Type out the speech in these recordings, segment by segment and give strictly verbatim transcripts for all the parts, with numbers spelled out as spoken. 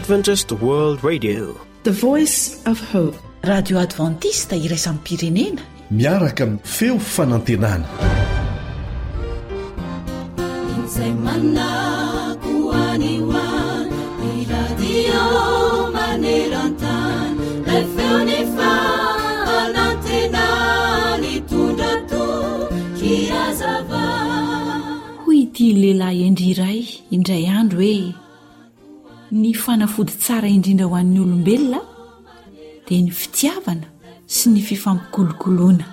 Adventist World Radio. The Voice of Hope. Radio Adventiste iraisam-pirenena. Miaraka amin'ny feo fanantenana. Izay manako any ho any, ny radio maneran-tany, ilay feo ny fanantenana nitondra toky hazava. Hoy ity lehilahy hendry iray indray andro hoe, ny fanafody tsara indrindra ho an'ny olombelona dia ny fitiavana sy ny fifampikolokoloana.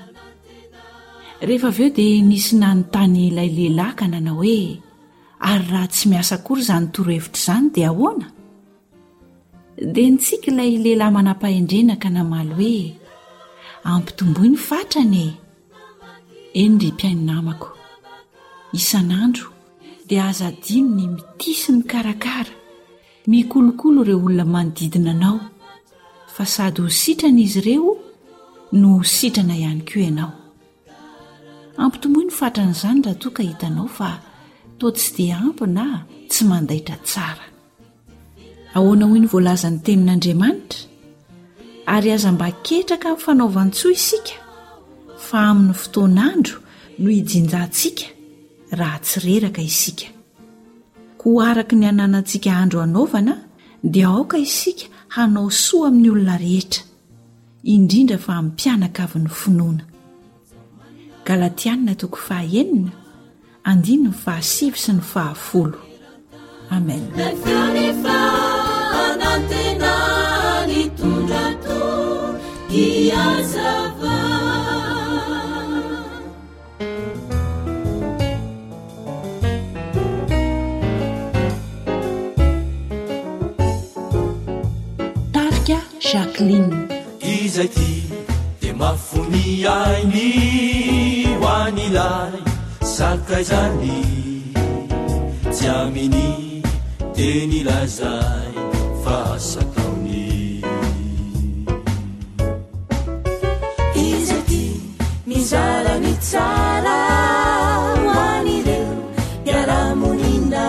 Rehefa avy eo dia nisy nanontany ilay lehilahy ka nanao hoe, ary raha tsy miasa akory izany torohevitra izany dia ahoana? Dia nitsiky ilay lehilahy manam-pahendrena ka namaly hoe, ampitomboy ny fatrany e! Eny ry mpihaino namako, isan'andro dia aza adino ny mitia sy mikarakara, mikolokolo ireo olona manodidina anao, fa sady ho sitrana izy ireo no ho sitrana ihany koa ianao. Ampitomboy ny fatran'izany raha toa ka hitanao fa toa tsy dia ampy na tsy mandaitra tsara. Ahoana hoy ny voalazan'ny tenin'Andriamanitra? Ary aza mba ketraka amin'ny fanaovan-tsoa isika, fa amin'ny fotoan'andro no hijinjantsika raha tsy reraka isika. Koa araka ny ananantsika andro hanaovana dia aoka isika hanao soa amin'ny olona rehetra, indrindra fa amin'ny mpianakavin'ny finoana. Galatiana toko fahaenina, andininy fahasivy sy ny fahafolo. Amen. Tarika Jacqueline. Izay tia dia mafy ny ainy ho an'ilay sakaizany, tsy aminy teny lazainy fa asa ataony. Izay tia mizara ny tsara ho an'ireo mpiara-monina,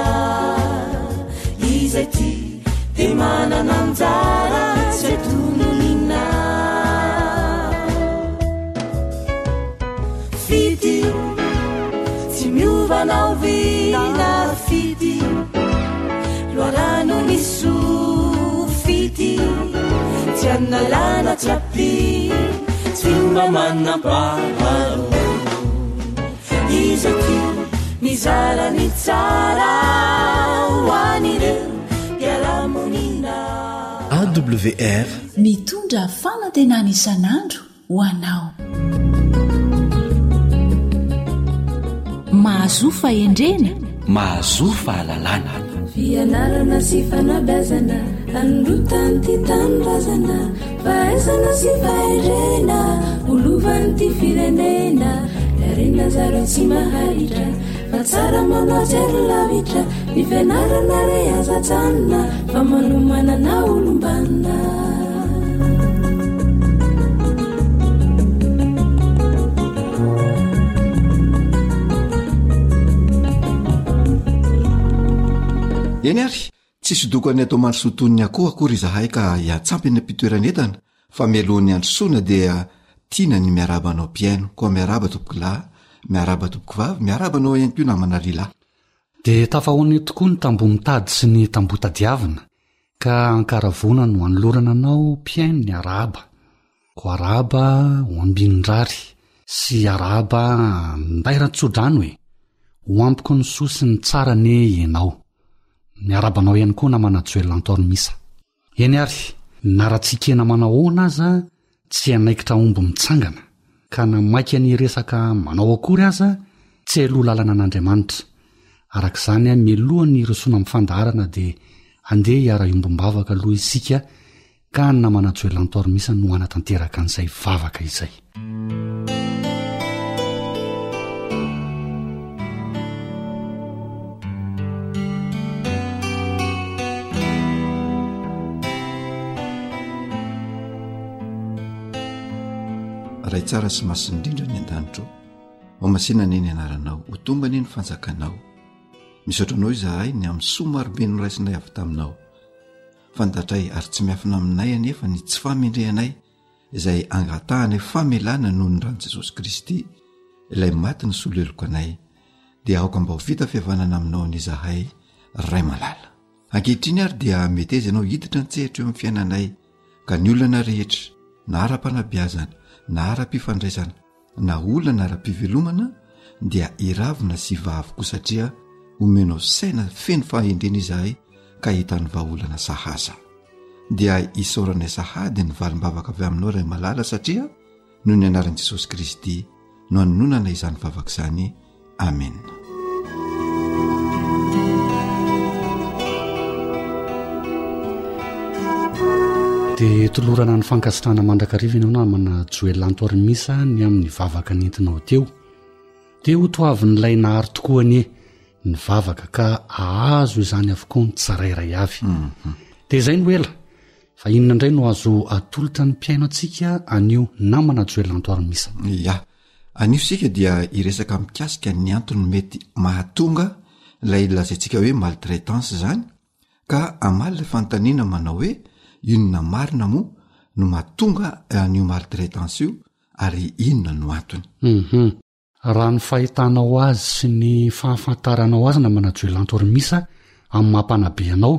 izay tia dia manana anjara tsy atononina. Fitia tsy miova na oviana, fitia loharano ny soa, fitia tsy analana tsy ampy, tsy mba manam-paharoa. Izay tia mizara ny tsara ho an'ireo mpiara-monina. A W R Mitondra fanantenana isan'andro ho anao. Mahazoa fahendrena, mahazoa fahalalana. Fianarana sy fanabeazana, anorotan'ity tanindrazana, fahaizana sy fahendrena, ho lovan'ity firenena. Harena zareo tsy maharitra, fa tsara manao jery lavitra. Ny fianarana re aza ajanona, fa manomanana olom-banona. Eny ary, tsy sodokan'ny atao mandrosoa toy ny akoho akory izahay ka hiantsampy eny am-pitoeran'entana, fa mialohan'ny handrosoana dia tiana ny miarahaba anao mpihaino. Koa miarahaba tompokolahy, miarahaba tompokovavy, miarahaba anao ihany koa namana lehilahy. Dia tafahoana eo tokoa ny tamboho mitady sy ny tamboho tadiavina, ka ankaravoana no anolorana anao mpihaino ny arahaba. Koa arahaba ho ambinin-drary sy arahaba andairan-tsodrano e! Ho ampiko ny soa sy ny tsara anie ianao. Miarahaba anao ihany koa namana Joel Antormisa. Eny ary, na ratsinkena manao ahoana aza tsy hanaikitra omby mitsangana, ka na maika ny resaka manao akory aza tsy haloa lalana an'Andriamanitra. Araka izany, mialoha ny hirosoana amin'ny fandaharana dia andeha hiara-hiombom-bavaka aloha isika, ka ny namana Joel Antormisa no hanatanteraka an'izay vavaka izay. Ray tsara sy masina indrindra ny an-danitro, ho masina anie ny anaranao, ho tonga anie ny fanjakanao. Misaotra anao izahay ny amin'ny soa marobe noraisinay avy taminao. Fantatray ary tsy miafina aminay anefa ny tsy fahamendrehanay izay angatahanay famelana noho ny ran'i Jesosy Kristy ilay maty nisolo heloka anay, dia aoka mba ho vita fihavanana aminao anie izahay Ray malala. Ankehitriny ary dia meteza ianao hiditra an-tsehatra eo amin'ny fiainanay ka ny olana rehetra na ara-panabeazana na ara-pifandraisana na olana ara-pivelomana dia hiravona sy hivaha avokoa satria omenao saina feno fahendrena izahay ka hahita ny vahaolana sahaza. Dia isaoranay sahady ny valim-bavaka avy aminao Ray malala satria noho ny anaran'i Jesosy Kristy no anononana izany vavaka izany. Amena. Dia tolorana ny fankasitrahana mandrakariva ianao namana Joel Antorimisa ny amin'ny vavaka nentinao teo. Dia ho toavin'ilay nahary tokoa anie ny vavaka ka ahazo izany avokoa ny tsirairay avy. Mhm. Dia izay no ela. Fa inona indray no azo atolotra ny mpihaino antsika anio namana Joel Antorimisa? Ya. Anio isika dia hiresaka mikasika ny antony mety mahatonga ilay lazaintsika hoe maltraitance izany ka hamaly ilay fanontaniana manao hoe inona marina moa no mahatonga an'io maltraitance io ary inona no antony. Hum Raha ny fahitanao azy sy ny fahafantaranao azy namana Joel Antorimisa amin'ny maha mpanabe anao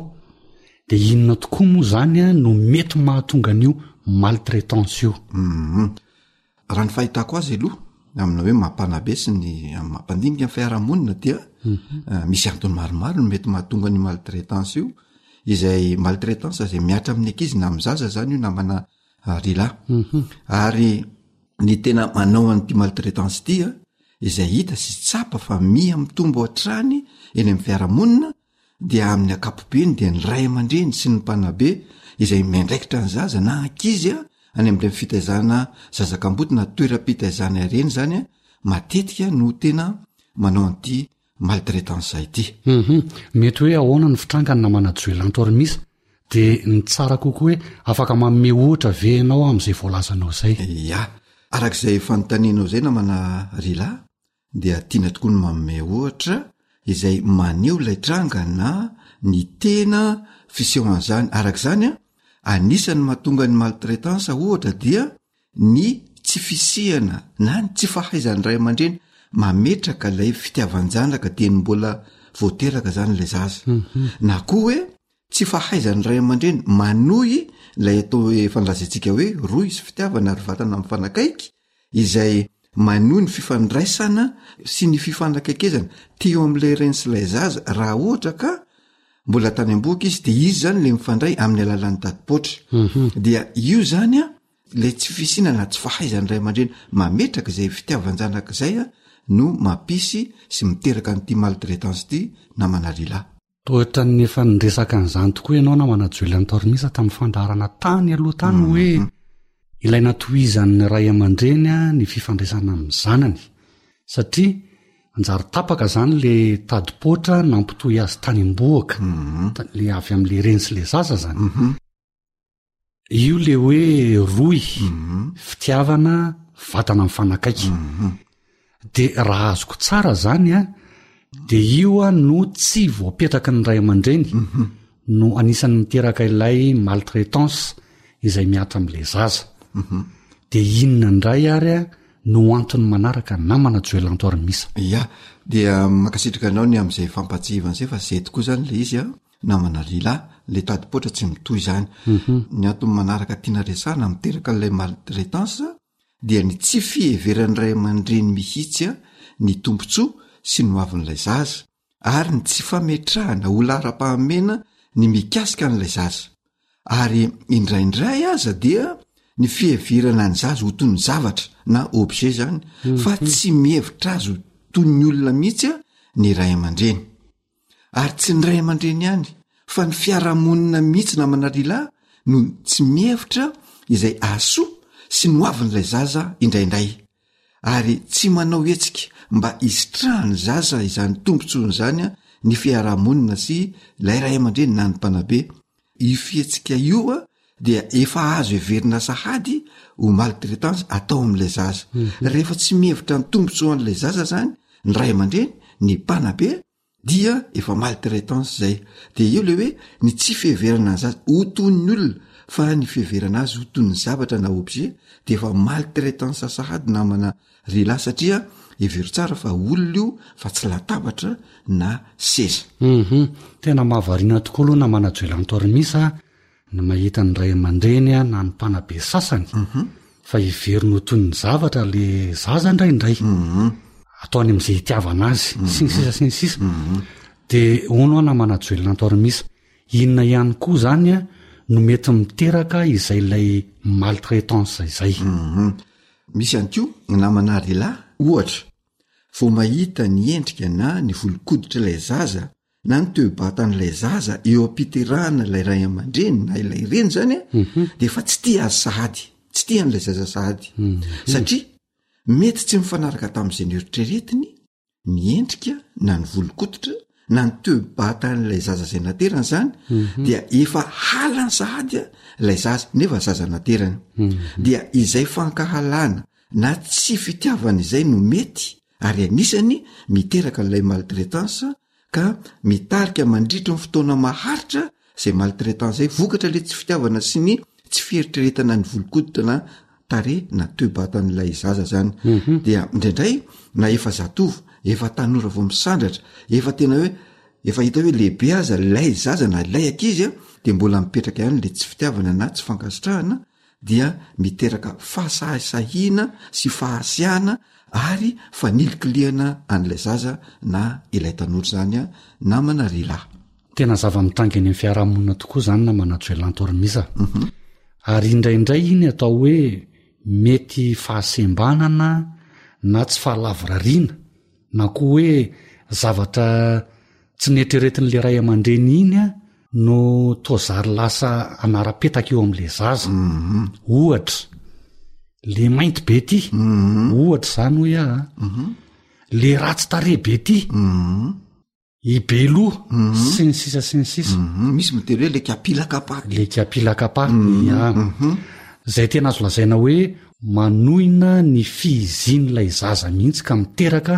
dia inona tokoa moa izany no mety mahatonga an'io maltraitance io? Hum Raha ny fahitako azy aloha amina hoe mampanabe sy ny amin'ny mampandinika ny fiarahamonina dia mhm. misy antony maromaro no mety mahatonga ny maltraitance io, izay maltraitance izay mihatra amin'ny ankizy na amin'ny zaza zany io namana rila. Mhm. Ary ny tena manao an'ity maltraitance ity a, izay hita sy tsapa fa miha mitombo hatrany eny amin'ny fiarahamonina dia amin'ny ankapobeny dia ny ray aman-dreny sy ny mpanabe izay miandraikitra ny zaza na ankizy a any amin'ireny fitaizana zaza kamboty na toeram-pitaizana ireny zany a matetika no tena manao an'ity maltraitance ity. Hum mety hoe ahoana ny fitrangany namana Joelanto Armisa? Dia ny tsara kokoa hoe afaka manome ohatra ve ianao amin'izay voalazanao izay? Ya, arak'izay fanontanianao izay namana Rila dia tiana tokoa ny manome ohatra izay maneho ilay tranga na ny tena fisehoan'izany. Araka izany, anisan'ny mahatonga ny maltraitance ohatra dia ny tsy fisihana na ny tsy fahaizan'ny ray aman-dreny mametraka ilay fitiavan-janaka dieny mbola vao teraka izany ilay zaza, na koa hoe tsy fahaizan'ny ray aman-dreny manohy ilay atao hoe efa nolazaintsika hoe rohy sy fitiavana ary vatana mifanakaiky izay manohy ny fifandraisana sy ny fifanakaikezana teo amin'ilay reny sy ilay zaza raha ohatra ka mbola tany am-bohoka izy de izy zany le mifandray amin'ny alalan'ny tadipoatra mhm. dia io zany a le tsy fisiana na tsy fahaizan'ny ray aman-dreny mametraka izay fitiavan-janaka izay a no mampisy sy miteraka an'ity maltraitance ity namana rila. Toa ohatran'ny efa niresaka an'izany tokoa ianao namana Julian Tormisa tamin'ny fandaharana tany aloha tany hoe ilaina tohizan'ny ray aman-dreny ny fifandraisana amin'ny zanany satria anjary tapaka izany le tadipoatra nampitohy azy tany am-bohoka, le avy amin'le reny sy le zaza izany. Io le hoe rohy, fitiavana, vatana mifanakaiky. De raha azoko tsara zany an, de io an no tsy voapetraky ny ray aman-dreny no anisan'ny miteraka ilay maltraitance izay mihatra amin'ilay zaza. De inona indray ary an no antony manaraka namana Joelanto Armisa? Ya, dia mankasitraka anao ny amin'izay fampahatsiahivana izay fa zay tokoa zany le izy an. Namana lehilahy, le tadi-poatra tsy mitohy izany. Ny antony manaraka tiana resahana miteraka an'ilay maltraitance dia ny tsy fiheveran'ny ray aman-dreny mihitsy ny tombontsoa sy ny hoavin'ilay zaza ary ny tsy fametrahana ho laharam-pahamehana ny mikasika an'ilay zaza. Ary indraindray aza dia ny fiheverana ny zaza ho toy ny zavatra na objet zany fa tsy mihevitra azy ho toy ny olona mihitsy ny ray aman-dreny. Ary tsy ny ray aman-dreny ihany fa ny fiarahamonina mihitsy namana lehilahy no tsy mihevitra izay ahasoa sy ny hoavin'ilay zaza indraindray ary tsy manao hetsika mba hisitrahan'ny zaza izany tombontsoany izany ny fiarahamonina sy ilay ray aman-dreny na ny mpanabe. Io fihetsika io dia efa azo heverina sahady ho maltraitance atao amin'ilay zaza. Rehefa tsy mihevitra ny tombontsoan'ilay zaza izany ny ray aman-dreny, ny mpanabe, Dia efa maltraitance zay. De eo le hoe ny tsy fiheverana ny zaza ho toy ny olona fa ny fiheverana azy ho toy ny zavatra na objet de efa maltraitance sahady namana ry lahy satria hevero tsara fa olona io fa tsy latabatra na seza. Hum tena mahavariana tokoa aloha namana Joelanto Armisa a, ny mahita ny ray aman-dreny a na ny mpanabe sasany fa heveriny ho toy ny zavatra le zaza indraindray. Ataony amin'izay hitiavana azy, sy ny sisa sy ny sisa. De hono aho namana Joelanto Armisa, inona ihany koa zany a no mety miteraka izay ilay maltraitance izay? Misy ihany koa namana ry lahy, ohatra, vao mahita ny endrika na ny volon-koditra ilay zaza na ny toe-batan'ilay zaza eo am-piterahana ilay ray aman-dreny na ilay reny zany a, de efa tsy tia azy sahady, tsy tia an'ilay zaza sahady. Satria mety tsy mifanaraka tamin'izay noeritreretiny ny endrika na ny volon-koditra na ny toe-batan'ilay zaza izay naterany zany, dia efa halany sahady a ilay zaza nefa zaza naterany. Dia izay fankahalana na tsy fitiavana izay no mety ary anisany miteraka ilay maltraitance ka mitarika mandritra ny fotoana maharitra izay maltraitance izay vokatra ilay tsy fitiavana sy ny tsy fieritreretana ny volon-koditra na tarehy na toe-batan'ilay zaza zany. Dia indraindray na efa zatovo, efa tanora vao misandratra, efa tena hoe efa hita hoe lehibe aza ilay zaza na ilay ankizy a, dia mbola mipetraka ihany ilay tsy fitiavana na tsy fankasitrahana, dia miteraka fahasahisahiana sy fahasiahana ary fanilikilihana an'ilay zaza na ilay tanora zany a, namana ry lahy. Tena zava-mitranga eny amin'ny fiarahamonina tokoa zany namana Joelanto Armisa. Ary indraindray iny atao hoe mety fahasembanana na tsy fahalavorariana na koa hoe zavatra tsy neritreretin'ilay ray aman-dreny iny a no toa zary lasa anara-petaka eo amin'ilay zaza. Ohatra, le mainty be ty, ohatra zany hoy aho a, le ratsy tarehy be ty, i Beloha, sy ny sisa sy ny sisa. Misy miteny hoe le kapilakapa. Le kapilakapa, ya. Zay tena azo lazaina hoe manohina ny fihizin'ilay zaza mihitsy ka miteraka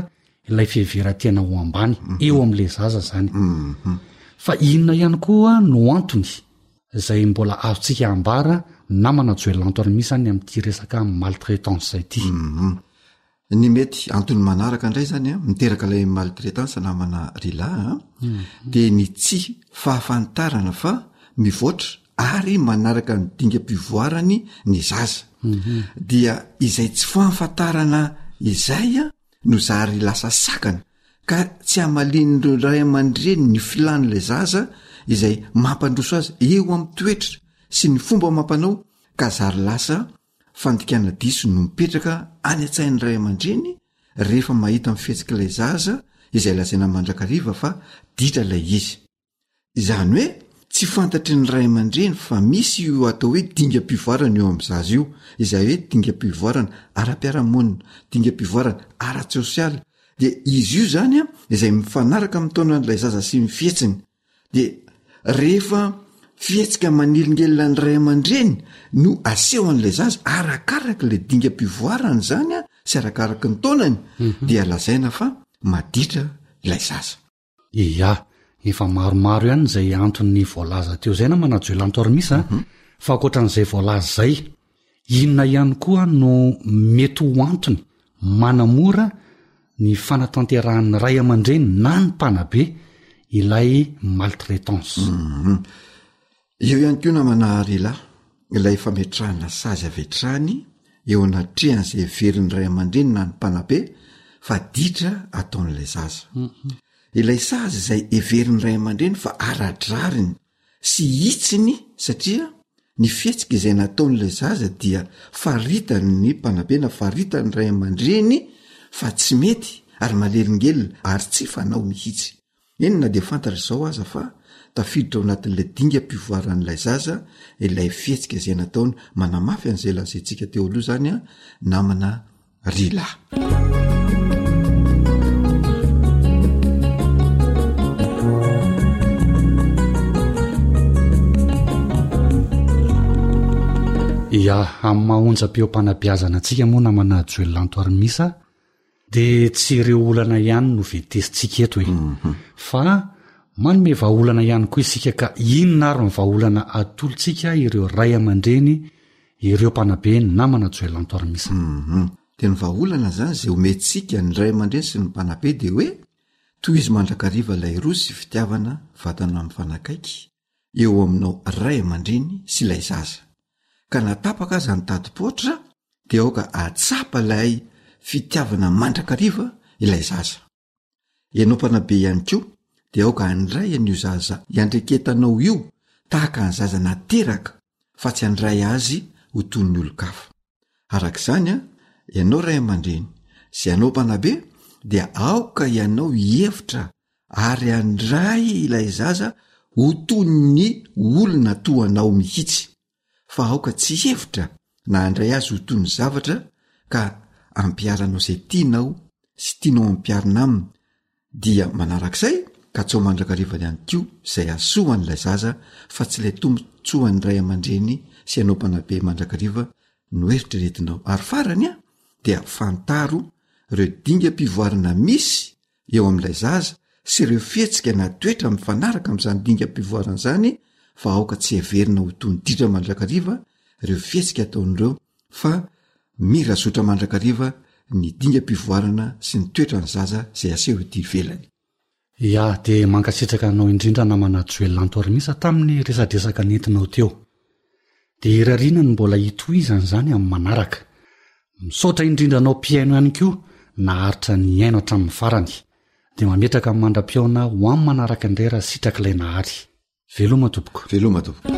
ilay fiheveran-tena ho ambany eo amin'ilay zaza zany. Fa inona ihany koa no antony izay mbola azontsika ambara namana Joelanto Armisa any amin'ity resaka maltraitance ity? Ny mety antony manaraka indray zany a, miteraka ilay maltraitance namana ry lahy a, dia ny tsy fahafantarana fa mivoatra ary manaraka ny dingam-pivoarany ny zaza. Dia izay tsy fahafantarana izay a no zary lasa sakana ka tsy hamalian'ireo ray aman-dreny ny filan'ilay zaza izay mampandroso azy eo amin'ny toetra sy ny fomba mampanao, ka zary lasa fandikana diso no mipetraka any an-tsain'ny ray aman-dreny rehefa mahita ny fihetsik'ilay zaza izay lazaina mandrakariva fa ditra ilay izy. Izany hoe tsy fantatry ny ray aman-dreny fa misy io atao hoe dingam-pivoarana eo amin'ny zaza io, izay hoe dingam-pivoarana ara-piarahamonina, dingam-pivoarana ara-tsosialy, dia izy io zany a izay mifanaraka amin'ny taonan'ilay zaza sy ny fihetsiny. Dia rehefa fihetsika manelingelina ny ray aman-dreny no aseho an'ilay zaza arakaraka ilay dingam-pivoarana zany a sy arakaraky ny taonany, dia lazaina fa maditra ilay zaza. Ia, efa maromaro ihany izay antony voalaza teo izay namana Joelanto Armisa, fa ankoatran'izay voalaza izay, inona ihany koa no mety ho antony manamora ny fanatanterahan'ny ray aman-dreny na ny mpanabe ilay maltraitance? Eo ihany koa namana ry lahy, ilay fametrahana sazy avy hatrany eo anatrehan'izay heverin'ny ray aman-dreny na ny mpanabe fa ditra ataon'ilay zaza. Ilay sazy izay heverin'ny ray aman-dreny fa ara-drariny sy hitsiny satria ny fihetsika izay nataon'ilay zaza dia faritan'ny mpanabe na faritan'ny ray aman-dreny fa tsy mety ary manelingelina ary tsy fanao mihitsy. Eny na dia fantatra izao aza fa tafiditra ao anatin'ilay dingam-pivoaran'ilay zaza ilay fihetsika izay nataony, manamafy an'izay lazaintsika teo aloha zany a, namana ry lahy. Ia, amin'ny maha onjam-peo-panabeazana antsika moa namana Joelanto Armisa, Dia tsy ireo olana ihany no ventesintsika eto e. Fa manome vahaolana ihany koa isika ka inona ary ny vahaolana atolotsika ireo ray aman-dreny, ireo mpanabe ny namana Joelanto Armisa? Dia ny vahaolana izany izay omentsika ny ray aman-dreny sy ny mpanabe dia hoe tohizo mandrakariva ilay roa sy fitiavana vatana mifanakaiky eo aminao ray aman-dreny sy ilay zaza. Ka na tapaka aza ny tadi-poatra dia aoka hahatsapa ilay fitiavana mandrakariva ilay zaza. Ianao mpanabe ihany koa dia aoka handray an'io zaza iandreketanao io tahaka ny zaza nateraka fa tsy handray azy ho toy ny olon-kafa. Araka izany, ianao ray aman-dreny sy ianao mpanabe dia aoka ianao hihevitra ary handray ilay zaza ho toy ny olona toa anao mihitsy, fa aoka tsy hihevitra na handray azy ho toy ny zavatra ka ampiharanao izay tianao sy tianao ampiharina aminy. Dia manarak'izay, katsao mandrakariva ihany koa izay hahasoa an'ilay zaza fa tsy ilay tombontsoan'ny ray aman-dreny sy ianao mpanabe mandrakariva no eritreretinao. Ary farany an, dia fantaro ireo dingam-pivoarana misy eo amin'ilay zaza sy ireo fihetsika na toetra mifanaraka amin'izany dingam-pivoarana izany fa aoka tsy heverina ho toy ny ditra mandrakariva ireo fihetsika ataon'ireo fa mira zotra mandrakariva ny dingam-pivoarana sy ny toetran'ny zaza izay aseho ety ivelany. Ya, dia mankasitraka anao indrindra namana Joel Lanto Armisa tamin'ny resadresaka nentinao teo. Dia irariana ny mbola hitohizana izany amin'ny manaraka. Misaotra indrindra anao mpihaino ihany koa naharitra nihaino hatramin'ny farany. Dia mametraka ny mandra-pihaona ho amin'ny manaraka indray raha sitrak'ilay Nahary. Veloma tompoko. Veloma tompoko.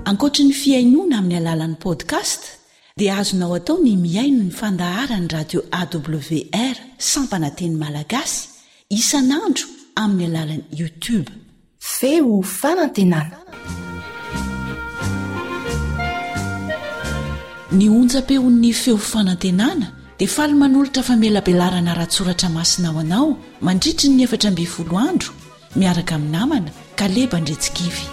Ankoatry ny fihainoana amin'ny alalan'ny podcast dia azonao atao ny mihaino ny fandaharan'ny radio A W R sampana teny malagasy isan'andro amin'ny alalan'ny YouTube. Feo fanantenana. Ny onjam-peon'ny Feo Fanantenana dia faly manolotra famelabelarana ara-tsoratra masina ho anao mandritry ny efatra ambin'ny folo andro miaraka amin'ny namana Kaleba Andretsikivy.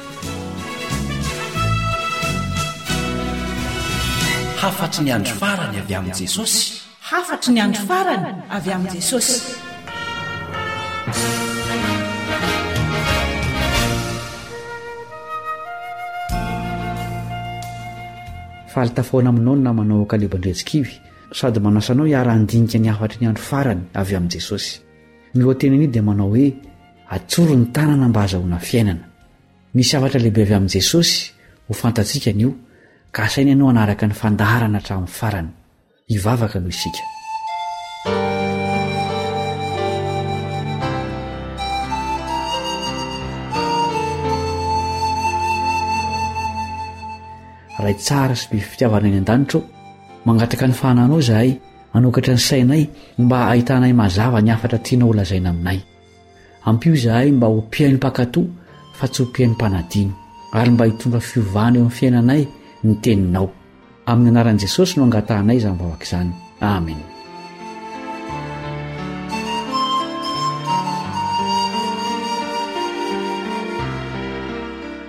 Hafatry ny andro farany avy amin'i Jesosy. Hafatry ny andro farany avy amin'i Jesosy. Faly tafahoana aminao ny namanao Kaleba Andretsikivy sady manasa anao hiara-handinika ny hafatry ny andro farany avy amin'i Jesosy. Ny lohateny anio dia manao hoe atsory ny tanana mba hahazoana fiainana. Misy hafatra lehibe avy amin'i Jesosy ho fantatsika anio ka asaina ianao hanaraka ny fandaharana hatramin'ny farany. Hivavaka aloha isika. Ray tsara sy be fitiavana any an-danitra ô, mangataka ny fahananao izahay hanokatra ny sainay mba hahitanay mazava ny hafatra tianao holazaina aminay. Ampio izahay mba ho mpihaino mpankatò fa tsy ho mpihaino mpanadino, ary mba hitondra fiovana eo amin'ny fiainanay ny teninao. Amin'ny anaran'i Jesosy no angatahanay izany vavaka izany. Amen.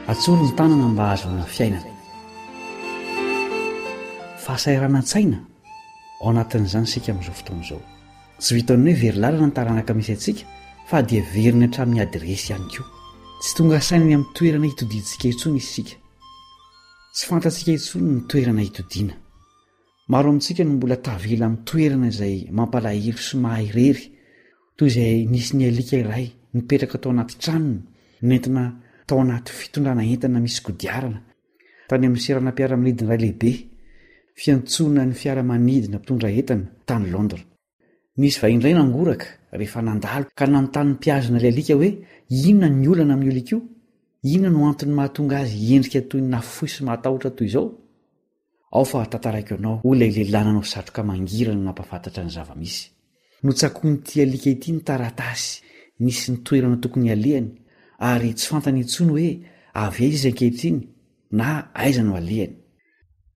Atsory ny tanana mba hahazoana fiainana. Fahasahiranan-tsaina, ao anatin'izany isika amin'izao fotoana izao. Tsy vitan'ny hoe very lalana ny taranaka misy antsika fa dia veriny hatramin'ny adiresy ihany koa. Tsy tonga saina ny amin'ny toerana hitodiantsika intsony isika. Tsy fantatsika intsony ny toerana hitodiana. Maro amintsika no mbola tavela amin'ny toerana izay mampalahelo sy maha irery, toy izay nisy ny alika iray nipetraka tao anaty tranony, nentina tao anaty fitondrana entana misy kodiarana, tany amin'ny seranam-piaramanidina iray lehibe, fiantsoana ny fiaramanidina mpitondra entana tany Londres. Nisy vahiny iray nangoraka rehefa nandalo ka nanontany ny mpihazona ilay alika hoe inona ny olana amin'io alika io? Inona no antony mahatonga azy hiendrika toy ny nafoy sy mahatahotra toy izao? Ao fa tantaraiko anao, hoy ilay lehilahy nanao satroka mangirana nampahafantatra ny zava-misy. Notsakoin'ity alika ity ny taratasy nisy ny toerana tokony halehany ary tsy fantany intsony hoe avy aiza izy ankehitriny na aiza no alehany.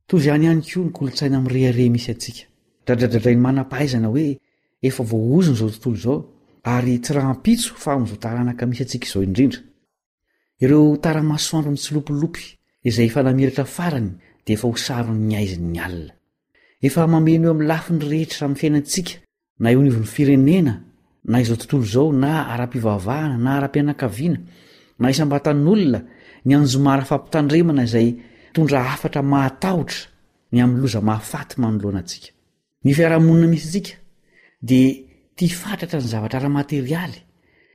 Toy izany ihany koa ny kolontsaina mirehareha misy antsika. Dradradradrain'ny manam-pahaizana hoe efa voaozona izao tontolo izao ary tsy rahampitso fa amin'izao taranaka misy antsika izao indrindra. Ireo tara-masoandro mitsilopilopy izay efa namiratra farany dia efa ho saron'ny haizin'ny alina. Efa mameno eo amin'ny lafiny rehetra amin'ny fiainantsika, na eo anivon'ny firenena, na izao tontolo izao, na ara-pivavahana, na ara-pianakaviana, na isam-batan'olona, ny anjomara fampitandremana izay mitondra hafatra mahatahotra ny amin'ny loza mahafaty manoloana antsika. Ny fiarahamonina misy antsika dia tia fatratra ny zavatra ara-materialy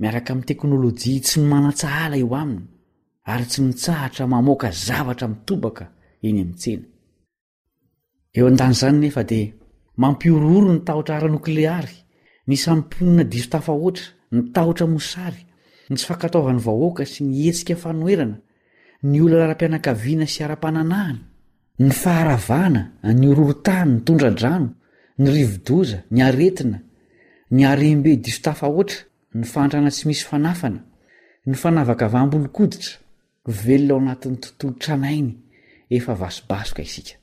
miaraka amin'ny teknolojia tsy manan-tsahala eo aminy ary tsy mitsahatra mamoaka zavatra mitobaka eny amin'ny tsena. Eo an-dan'izany nefa dia mampihorohoro ny tahotra ara-nokleary, ny isan'ny mponina diso tafahoatra, ny tahotra mosary, ny tsy fankatoavan'ny vahoaka sy ny hetsika fanoherana, ny olana ara-pianakaviana sy ara-pananahana, ny faharavana, ny horohorontany, ny tondra-drano, ny rivo-doza, ny aretina, ny harem-be diso tafahoatra, ny fahantrana tsy misy fanafana, ny fanavakavaham-bolon-koditra, velona ao anatin'ny tontolo tranainy efa vasobasoka isika.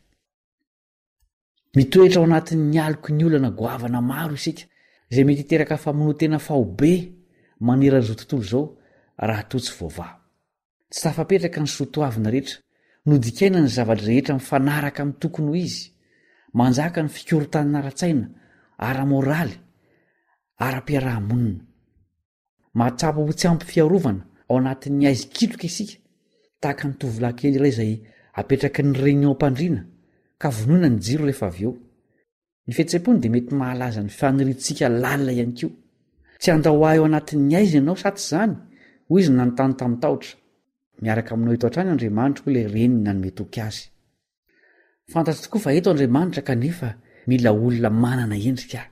Mitoetra ao anatin'ny aloky ny olana goavana maro isika, izay mety hiteraka famonoan-tena faobe manerana izao tontolo izao raha toa tsy voavaha. Tsy tafapetraka ny soatoavina rehetra, nodikaina ny zava-drehetra mifanaraka amin'ny tokony ho izy, manjaka ny fikorontanana ara-tsaina, ara-moraly, ara-piaraha-monina. Mahatsapa ho tsy ampy fiarovana ao anatin'ny haizikitroka isika, tahaka ny tovolahy kely iray izay apetraky ny reniny eo am-pandriana ka vonoina ny jiro rehefa avy eo. Ny fihetseham-pony dia mety mahalaza ny faniriantsika lalina ihany koa. Tsy handao ahy ao anatin'ny haizina ianao sa tsy izany? hoy izy nanontany tamin-tahotra. Miaraka aminao eto hatrany Andriamanitra, hoy ilay reniny nanome toky azy. Fantatro tokoa fa eto Andriamanitra kanefa mila olona manana endrika aho.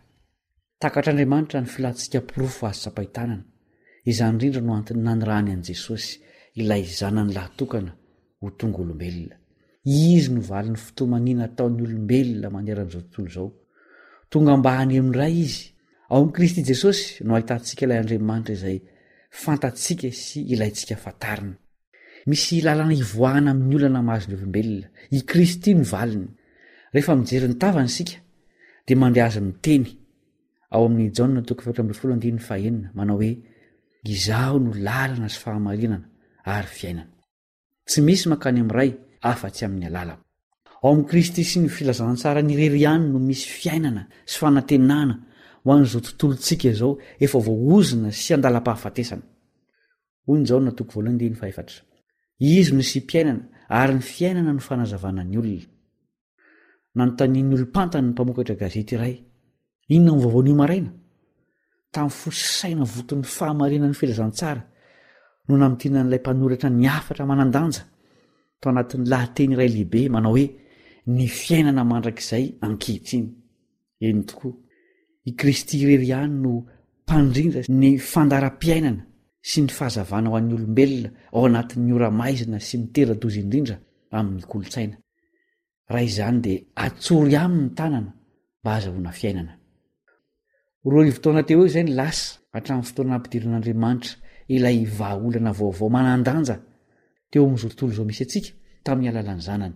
Takatr'Andriamanitra ny filantsika porofo azo tsapain-tanana. Izany indrindra no antony nanirahany an'i Jesosy, ilay Zanany lahy tokana, ho tonga olombelona. Izy no valin'ny fitomaniana ataon'ny olombelona manerana izao tontolo izao. Tonga mba haneho ny Ray Izy. Ao amin'i Kristy Jesosy no ahitantsika ilay Andriamanitra izay fantatsika sy ilaintsika fantarina. Misy lalana hivoahana amin'ny olana mahazo ny olombelona. I Kristy no valiny. Rehefa mijery ny tavany isika, dia mandre azy miteny ao amin'ny Jaona toko fahefatra ambin'ny folo andininy fahenina, manao hoe, Izaho no lalana sy fahamarinana ary fiainana. Tsy misy mankany amin'ny Ray afa-tsy amin'ny alalako. Ao amin'i Kristy sy ny filazantsarany irery ihany no misy fiainana sy fanantenana ho an'izao tontolontsika izao efa voaozona sy andalam-pahafatesana. Hoy ny Jaona toko voalohany andininy fahefatra. Izy no nisiam-piainana ary ny fiainana no fanazavana ny olona. Nanontanian'ny olom-pantany ny mpamokatra gazety iray, Inona no vaovao anio maraina? Tamin'ny fo sy saina voton'ny fahamarinan'ny filazantsara no namintinan'ilay mpanoratra ny hafatra manan-danja tao anatin'ny lahateny iray lehibe manao hoe Ny fiainana mandrakizay ankehitriny. Eny tokoa, i Kristy irery ihany no mpandrindra ny fandaharam-piainana sy ny fahazavana ho an'ny olombelona ao anatin'ny ora maizina sy mitera-doza indrindra amin'ny kolontsaina. Raha izany dia atsory aminy ny tanana mba hahazahoana fiainana. Roa arivo taona teo eo izay ny lasa hatramin'ny fotoana nampidiran'Andriamanitra ilay vahaolana vaovao manan-danja teo amin'izao tontolo izao misy antsika tamin'ny alalan'ny Zanany.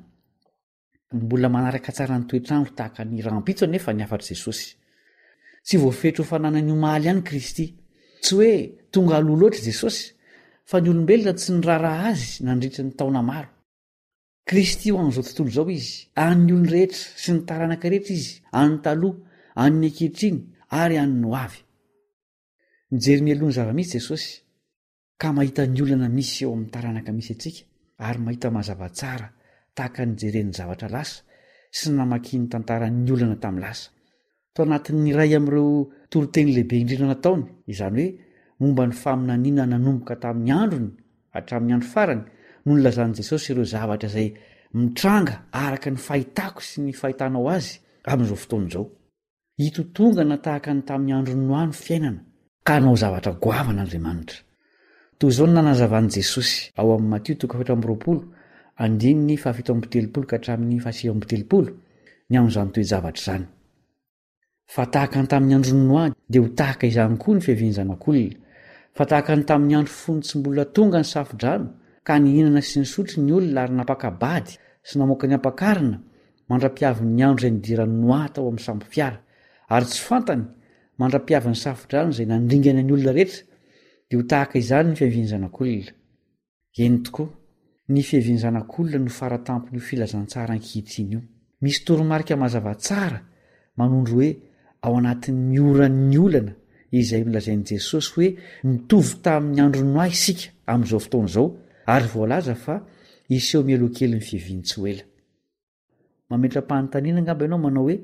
Mbola manaraka tsara ny toetr'andro tahaka ny rahampitso anefa ny hafatr'i Jesosy. Tsy voafetra ho fananany omaly ihany Kristy. Tsy hoe tonga aloha loatra i Jesosy, fa ny olombelona tsy niraharaha azy nandritra ny taona maro. Kristy ho an'izao tontolo izao izy, an'ny olon-drehetra sy ny taranaka rehetra izy, an'ny taloha, an'ny ankehitriny ary an'ny ho avy. Mijery mialoha ny zava-misy Jesosy, ka mahita ny olana misy eo amin'ny taranaka misy antsika ary mahita mazava tsara tahaka ny nijereny ny zavatra lasa sy ny namakiany tantaran'ny olana tamin'ny lasa. Tao anatin'ny iray amin'ireo toriteny lehibe indrindra nataony, izany hoe momba ny faminaniana nanomboka tamin'ny androny hatramin'ny andro farany, no nilazan'i Jesosy ireo zavatra izay mitranga araka ny fahitako sy ny fahitanao azy amin'izao fotoana izao. Hitotongana tahaka ny tamin'ny andron'i Noa ny fiainana, ka hanao zavatra goavana Andriamanitra. Toy izao no nanazavan'i Jesosy ao amin'ny Matio toko fahefatra amby roapolo, andininy fahafito amby telopolo ka hatramin'ny fahasivy amby telopolo, ny amin'izany toe-javatra izany. Fa tahaka ny tamin'ny andron'i Noa, dia ho tahaka izany koa ny fiavian'ny Zanak'olona. Fa tahaka ny tamin'ny andro fony tsy mbola tonga ny safo-drano, ka nihinana sy nisotro ny olona ary nampaka-bady sy namoaka ny ampakarina, mandra-piavin'ny andro izay nidiran'i Noa tao amin'ny sambo-fiara, ary tsy fantany, mandra-piavin'ny safo-drano izay nandringana ny olona rehetra, dia ho tahaka izany ny fiavian'ny Zanak'olona. Eny tokoa, ny fiavian'ny Zanak'olona no faratampon'io filazantsara ankehitriny io. Misy toromarika mazava tsara manondro hoe ao anatin'ny oran'ny olana izay nolazain'i Jesosy hoe mitovy tamin'ny andron'i Noa isika amin'izao fotoana izao ary voalaza fa hiseho mialoha kelin'ny fiaviany tsy ho ela. Mametra-panontaniana angamba ianao manao hoe,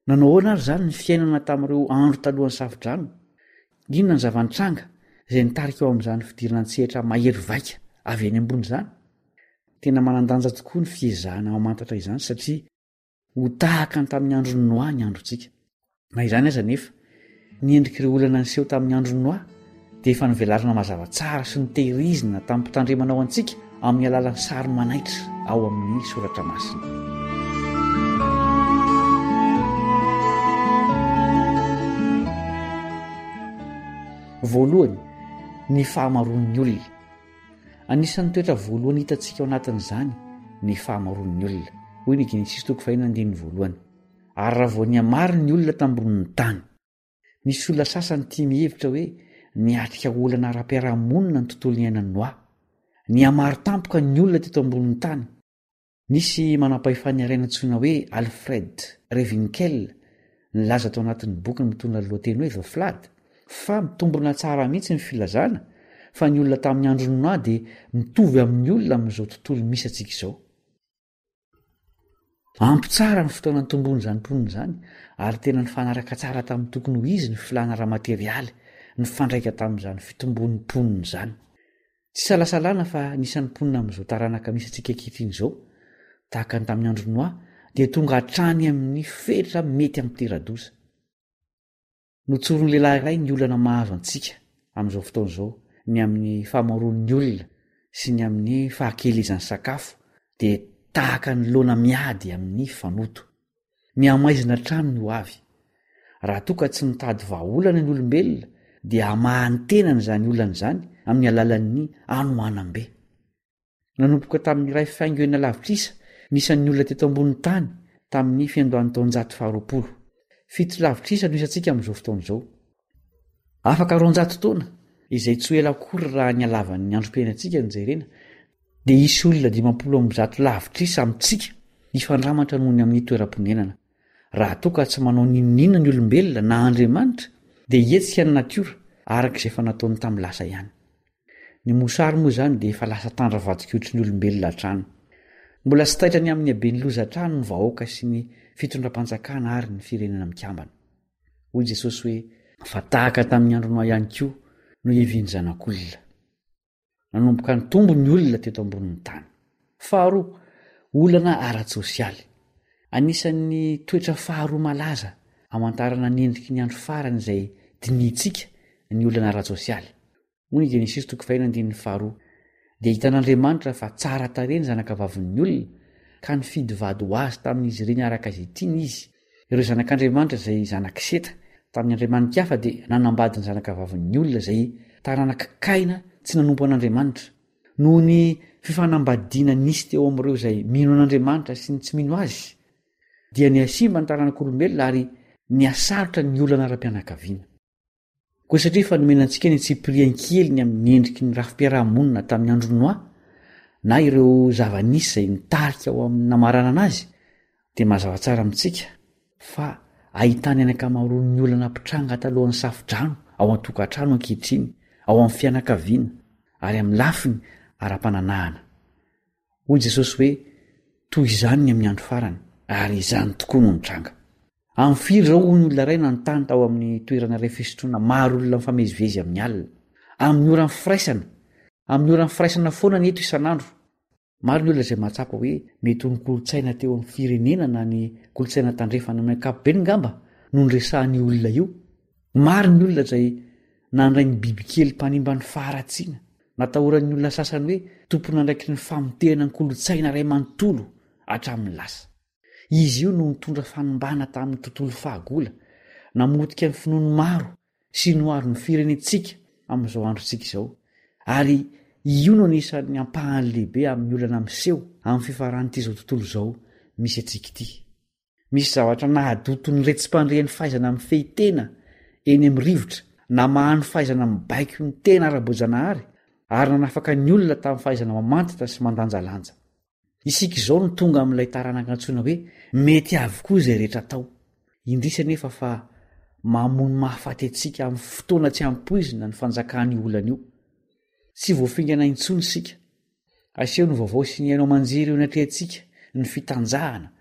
Nanao ahoana ary izany ny fiainana tamin'ireo andro talohan'ny Safodrano? Inona ny zava-nitranga izay nitarika ho amin'izany fidirana an-tsehatra mahery vaika avy any ambony izany? Tena manan-danja tokoa ny fiezahana mamantatra izany satria ho tahaka ny tamin'ny andron'i Noa ny androntsika. Na izany aza anefa, ny endrik'ireo olana niseho tamin'ny andron'i Noa dia efa novelarina mazava tsara sy notehirizina tamim-pitandremana ho antsika amin'ny alalan'ny sary manaitra ao amin'ny Soratra Masina. Voalohany, ny fahamaroan'ny olona. Anisan'ny toetra voalohany hitantsika ao anatin'izany ny fahamaroan'ny olona. Hoy ny Genesisy toko fahenina andininy voalohany. Ary raha vao nihamaro ny olona tambonin'ny tany. Misy olona sasany tia mihevitra hoe niatrika olana ara-piarahamonina ny tontolo niainan'i Noa. Nihamaro tampoka ny olona teto ambonin'ny tany. Nisy manam-pahefana iray nantsoina hoe Alfred Rewinkel nilaza tao anatin'ny bokiny mitondra ny lohateny hoe The Flood fa mitombina tsara mihitsy ny filazana fa ny olona tamin'ny andron'i Noa dia mitovy amin'ny olona amin'izao tontolo misy antsika izao. Ampy tsara ny fotoana nitomboan'izany mponina izany ary tena nifanaraka tsara tamin'ny tokony ho izy ny filàna ara-materialy nifandraika tamin'izany fitomboan'ny mponina izany. Tsy isalasalana fa ny isan'ny mponina amin'izao taranaka misy antsika ankehitriny izao, tahaka ny tamin'ny andron'i Noa, dia tonga hatrany amin'ny fetra mety hampitera-doza. Notsorin'ny lehilahy iray ny olana mahazo antsika amin'izao fotoana izao, ny amin'ny fahamaroan'ny olona sy ny amin'ny fahakelezan'ny sakafo dia tahaka ny laona miady amin'ny fanoto. Mihamaizina hatrany ny ho avy. Raha toa ka tsy mitady vahaolana ny olombelona dia hamaha ny tenany izany olana izany amin'ny alalan'ny hanoanam-be. Nanomboka tamin'ny iray faingo enina lavitrisa ny isan'ny olona teto ambonin'ny tany tamin'ny fiandohan'ny taonjato faharoapolo. Fito lavitrisa no isantsika amin'izao fotoana izao. Afaka roanjato taona, izay tsy ho ela akory raha ny halavan'ny androm-piainantsika no jerena, dia hisy olona dimampolo amby zato lavitrisa amintsika hifandramatra noho ny amin'ny toeram-ponenana. Raha toa ka tsy manao n'inon'inona ny olombelona na Andriamanitra, dia hihetsika ny natiora araka izay efa nataony tamin'ny lasa ihany. Ny mosary moa izany dia efa lasa tandra vadik'otry ny olombelona hatrany. Mbola tsy taitra ny amin'ny haben'ny loza hatrany ny vahoaka sy ny fitondram-panjakana ary ny firenena mikambana. Hoy Jesosy hoe, Fa tahaka tamin'ny andron'i Noa ihany koa no hiavian'ny Zanak'olona. Nanomboka nitombo ny olona teto ambonin'ny tany. Faharoa, olana ara-tsosialy. Anisan'ny toetra faharoa malaza amantarana ny endriky ny andro farany izay dinihintsika ny olana ara-tsosialy. Hoy ny Genesisy toko faheno andininy faharoa, Dia hitan'Andriamanitra fa tsara tarehy ny zanakavavin'ny olona, ka nifidy vady ho azy tamin'izy ireny araka izay tiany izy. Ireo zanak'Andriamanitra izay zanak'i Seta tamin'ny andriamani-kafa dia nanambady ny zanakavavin'ny olona izay taranak'i Kaina tsy nanompo an'Andriamanitra. Noho ny fifanambadiana nisy teo amin'ireo izay mino an'Andriamanitra sy ny tsy mino azy, dia nihasimba ny taranak'olombelona ary nihasarotra ny olana ara-pianakaviana. Koa satria efa nomena antsika ny antsipiriany kely ny amin'ny endriky ny rafi-piaraha-monina tamin'ny andron'i Noa, na ireo zava-nisy izay nitarika ho amin'ny namaranana azy, dia mazava tsara amintsika fa ahitana ny ankamaroan'ny olana mpitranga talohan'ny Safo-drano ao an-tokantrano ankehitriny, ao amin'ny fianakaviana, ary amin'ny lafiny ara-pananahana. Hoy Jesosy hoe, Toy izany ny amin'ny andro farany, ary izany tokoa no nitranga. Amin'ny firy izao hoy ny olona iray nanontany tao amin'ny toerana iray fisotroana maro olona mifamezivezy amin'ny alina. Amin'ny oran'ny firaisana. Amin'ny oran'ny firaisana foana ny eto isan'andro. Maro ny olona izay mahatsapa hoe mety ho ny kolontsaina teo amin'ny firenena na ny kolontsaina tandrefana amin'ny ankapobeny angamba no niresahan'io olona io. Maro ny olona izay nandray ny bibikely mpanimba ny faharatsiana. Natahoran'ny olona sasany hoe tompon'andraikitry ny famotehana ny kolontsaina iray manontolo hatramin'ny lasa. Izy io no nitondra fanimbana tamin'ny tontolo fahagola, namotika ny finoan'ny maro sy noharo ny firenentsika amin'izao androntsika izao, ary io no anisan'ny ampahany lehibe amin'ny olana miseho amin'ny fifaran'ity izao tontolo izao misy antsika ity. Misy zavatra nahadoto ny retsi-pandre ny fahaizana mifehy tena eny amin'ny rivotra, namaha ny fahaizana mibaiko ny tena ara-boajanahary, ary nanafaka ny olona tamin'ny fahaizana mamantatra sy mandanjalanja. Isika izao no tonga amin'ilay taranaka antsoina hoe mety avokoa izay rehetra atao. Indrisy anefa fa mamono mahafaty antsika amin'ny fotoana tsy ampoizina ny fanjakan'io olana io. Tsy voafingana intsony isika. Aseho ny vaovao sy ny haino aman-jery eo anatrehantsika ny fitanjahana,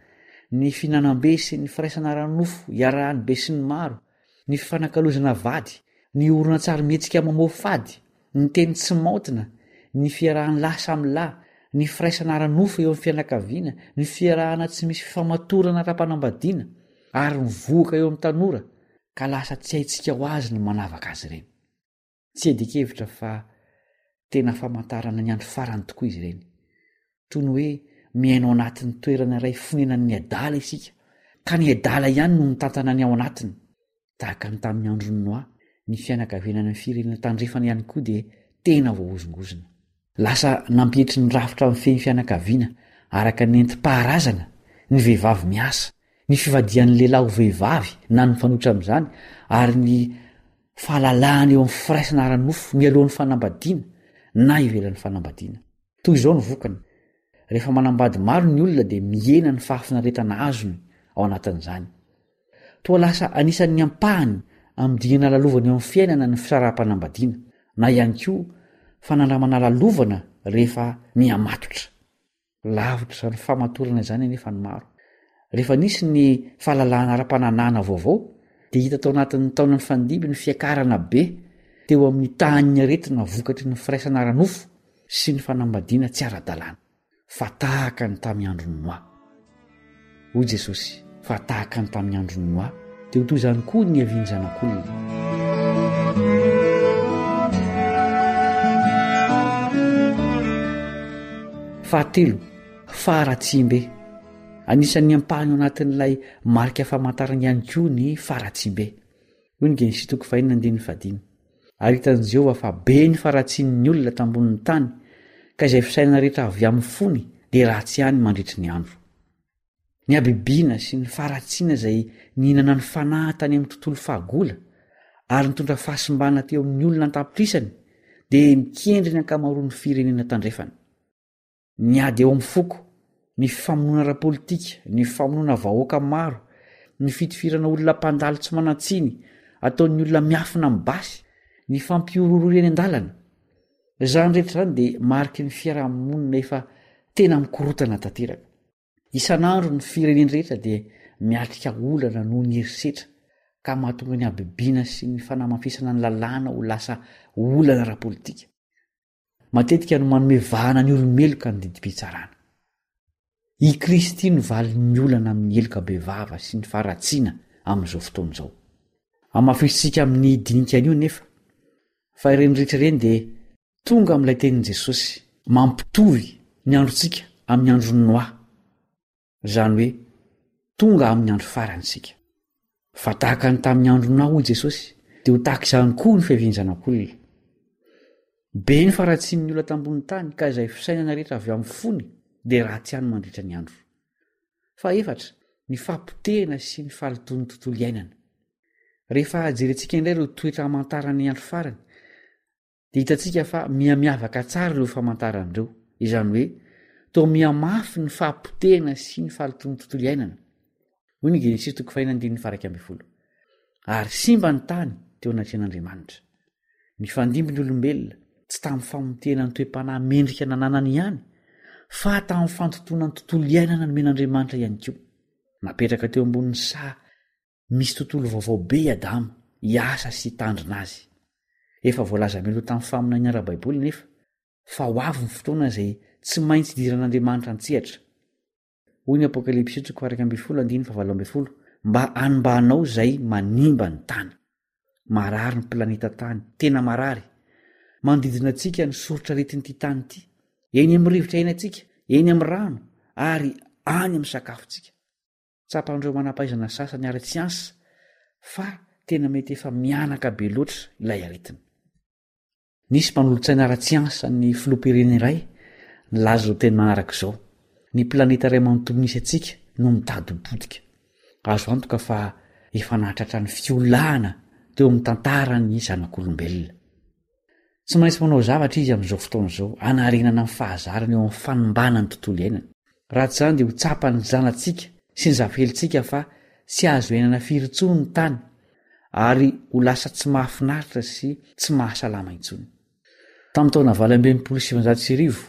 ny fihinanam-be sy ny firaisana ara-nofo iarahan'ny besinimaro, ny fifanakalozana vady, ny horonantsarimihetsika mamoafady, ny teny tsy maotina, ny fiarahan'ny lahy samy lahy, ny firaisana ara-nofo eo amin'ny fianakaviana, ny fiarahana tsy misy fifamatorana ara-panambadiana, ary ny vohoka eo amin'ny tanora, ka lasa tsy haintsika ho azy ny manavaka azy ireny. Tsy iadian-kevitra fa tena famantarana ny andro farany tokoa izy ireny. Toy ny hoe miaina ao anatin'ny toerana iray fonenan'ny adala isika, ka ny adala ihany no mitantana ny ao anatiny. Tahaka ny tamin'ny andron'i Noa, ny fianakaviana any amin'ny firenena tandrefana ihany koa dia tena voahozongozona. Lasa nampietry ny rafitra mifehy ny fianakaviana araka ny nentim-paharazana ny vehivavy miasa, ny fivadihan'ny lehilahy ho vehivavy na ny mifanohitra amin'izany, ary ny fahalalahana eo amin'ny firaisana ara-nofo mialohan'ny fanambadiana na ivelan'ny fanambadiana. Toy izao ny vokany, rehefa manambady maro ny olona dia mihena ny fahafinaretana azony ao anatin'izany. Toa lasa anisan'ny ampahany amin'ny dingana lalovana eo amin'ny fiainana ny fisaraham-panambadiana, na ihany koa fanandramana lalovana rehefa mihamatotra. Lavitra izany famatorana izany anefa ny maro. Rehefa nisy ny fahalalahana ara-pananahana vaovao, dia hita tao anatin'ny taona nifandimby ny fiakarana be teo amin'ny tahan'ny aretina vokatry ny firaisana ara-nofo sy ny fanambadiana tsy ara-dalàna. Fa tahaka ny tamin'ny andron'i Noa. Hoy Jesosy, fa tahaka ny tamin'ny andron'i Noa, dia ho toy izany koa ny niavian'ny Zanak'olona. Fahatelo, faharatsiam-be. Anisan'ny ampahany ao anatin'ilay marika famantarana ihany koa ny faharatsiam-be. Hoy ny Genesisy toko fahenina andininy fahadimy. Ary hitan'i Jehovah fa be ny faharatsian'ny olona tambonin'ny tany, ka izay fisainana rehetra avy amin'ny fony dia ratsy ihany mandritry ny andro. Ny habibiana sy ny faharatsiana izay nihinana ny fanahy tany amin'ny tontolo fahagola ary nitondra fahasimbana teo amin'ny olona an-tapitrisany dia mikendry ny ankamaroan'ny firenena tandrefana. Ny ady eo amin'ny foko, ny fifamonoana ara-politika, ny famonoana vahoaka maro, ny fitifirana olona mpandalo tsy manan-tsiny ataon'ny olona miafina amin'ny basy, ny fampihorohoroana eny an-dalana. Izany rehetra izany dia mariky ny fiarahamonina efa tena mikorotana tanteraka. Isan'andro ny firenena rehetra dia miatrika olana noho ny herisetra ka mahatonga ny habibiana sy ny fanamafisana ny lalàna ho lasa olana ara-politika. Matetika no manome vahana ny olo-meloka ny didim-pitsarana. I Kristy no valin'ny olana amin'ny heloka bevava sy ny faharatsiana amin'izao fotoana izao. Hamafisintsika amin'ny dinika anio nefa fa ireny rehetra ireny dia tonga amin'ilay tenin'i Jesosy mampitovy ny androntsika amin'ny andron'i Noa. Izany hoe tonga amin'ny andro farany isika. Fa tahaka ny tamin'ny andron'i Noa, hoy Jesosy, dia ho tahaka izany koa ny fiavian'ny Zanak'olona. Be ny faharatsian'ny olona tambonin'ny tany ka izay fisainana rehetra avy amin'ny fony dia ratsy ihany mandritra ny andro. Fahefatra, ny fahapotehana sy ny fahalotoan'ny tontolo iainana. Rehefa jerentsika indray ireo toetra hamantarana ny andro farany, dia hitantsika fa mihamiavaka tsara ireo famantarana ireo. Izany hoe, toa mihamafy ny fahapotehana sy ny fahalotoan'ny tontolo iainana. Hoy ny Genesisy toko fahenina andininy faha-iraika ambin'ny folo. Ary simba ny tany teo anatrehan'Andriamanitra. Nifandimby ny olombelona, tsy tamin'ny famotehana ny toe-panahy mendrika nananany ihany, fa tamin'ny fandotoana ny tontolo iainana nomen'Andriamanitra ihany koa. Napetraka teo ambonin'ny saha misy tontolo vaovao be i Adama, hiasa sy hitandrina azy. Efa voalaza mialoha tamin'ny faminaniana ara-baiboly anefa fa ho avy ny fotoana izay tsy maintsy hidiran'Andriamanitra an-tsehatra. Hoy ny Apokalypsy toko faha-iraika ambin'ny folo andininy fahavalo ambin'ny folo, mba hanombahanao izay manimba ny tany. Marary ny planeta tany, tena marary. Manodidina antsika ny soritr'aretin'ity tany ity, eny amin'ny rivotra iainantsika, eny amin'ny rano, ary any amin'ny sakafontsika. Tsapan'ireo manam-pahaizana sasany ara-tsiansa fa tena mety efa mihanaka be loatra ilay aretina. Nisy mpanolotsaina ara-tsiansa ny filoham-pirenena iray nilaza izao teny manaraka izao, Ny planeta iray manontolo misy antsika no mitady ho potika. Azo antoka fa efa nahatratra ny fiolahana teo amin'ny tantara ny zanak'olombelona. Tsy maintsy manao zavatra izy amin'izao fotoana izao hanarenana ny fahazarany eo amin'ny fanimbana ny tontolo iainana. Raha tsy izany dia ho tsapan'ny zanatsika sy ny zafikelitsika fa tsy azo iainana firy intsony ny tany ary ho lasa tsy mahafinaritra sy tsy mahasalama intsony. Tamin'ny taona valo amby enimpolo sy sivinjato sy arivo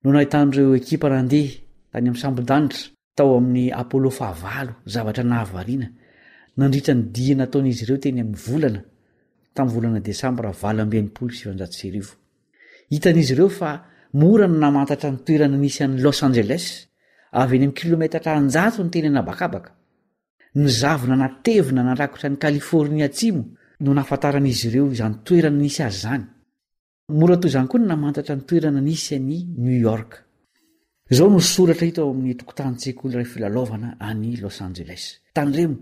no nahitan'ireo ekipa nandeha tany amin'ny sambon-danitra tao amin'ny Apollo fahavalo zavatra nahavariana nandritra ny dia nataon'izy ireo teny amin'ny volana tamin'ny volana desambra valo amby enimpolo sy sivinjato sy arivo. Hitan'izy ireo fa mora ny namantatra ny toerana nisy an'i Los Angeles avy eny amin'ny kilometatra an-jatony teny an'habakabaka. Ny zavona natevina narakotra an'i Californie Atsimo no nahafantaran'izy ireo izany toerana nisy azy izany. Mora toy izany koa ny namantatra ny toerana nisy an'i New York. Izao no soratra hita ao amin'ny tokotanin-tsekoly iray filalaovana any Los Angeles. Tandremo,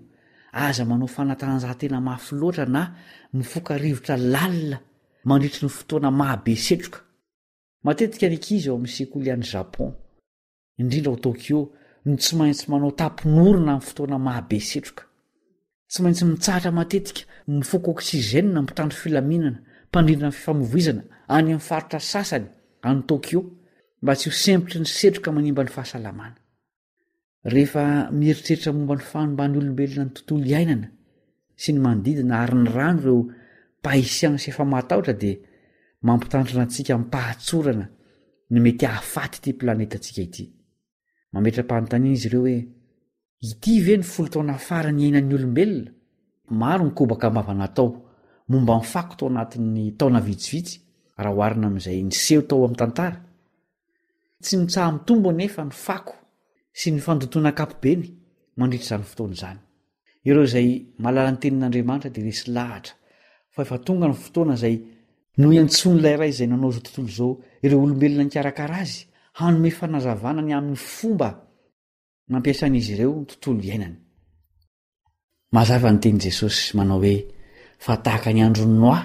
aza manao fanatanjahantena mafy loatra na mifoka rivotra lalina mandritry ny fotoana mahabe setroka. Matetika ny ankizy ao amin'ny sekoly any Japon, indrindra ao Tokyo, no tsy maintsy manao tapon'orona amin'ny fotoana mahabe setroka. Tsy maintsy mitsahatra matetika mifoka oxygène ny mpitandro filaminana mpandrindra ny fifamoivoizana any amin'ny faritra sasany any Tokyo mba tsy ho sempotry ny setroka manimba ny fahasalamana. Rehefa mieritreritra momba ny fanomban'ny olombelona ny tontolo iainana sy ny manodidina ary ny rano ireo mpahay siansa efa matahotra dia mampitandrina antsika amim-pahatsorana ny mety hahafaty ity planetantsika ity. Mametra-panontaniana izy ireo hoe ity ve ny folo taona farany iainan'ny olombelona? Maro ny kobaka am-bava natao momba ny fako tao anatin'ny taona vitsivitsy raha oharina amin'izay niseho tao amin'ny tantara. Tsy mitsaha-mitombo anefa ny fako sy ny fandotoana ankapobeny mandritra izany fotoana izany. Ireo izay mahalala ny tenin'Andriamanitra dia resy lahatra fa efa tonga ny fotoana izay nohiantsoan'ilay Ray izay nanao izao tontolo izao ireo olombelona nikarakara azy hanome fanazavana ny amin'ny fomba nampiasan'izy ireo ny tontolo iainany. Mazava ny tenin'i Jesosy manao hoe fa tahaka ny andron'i Noa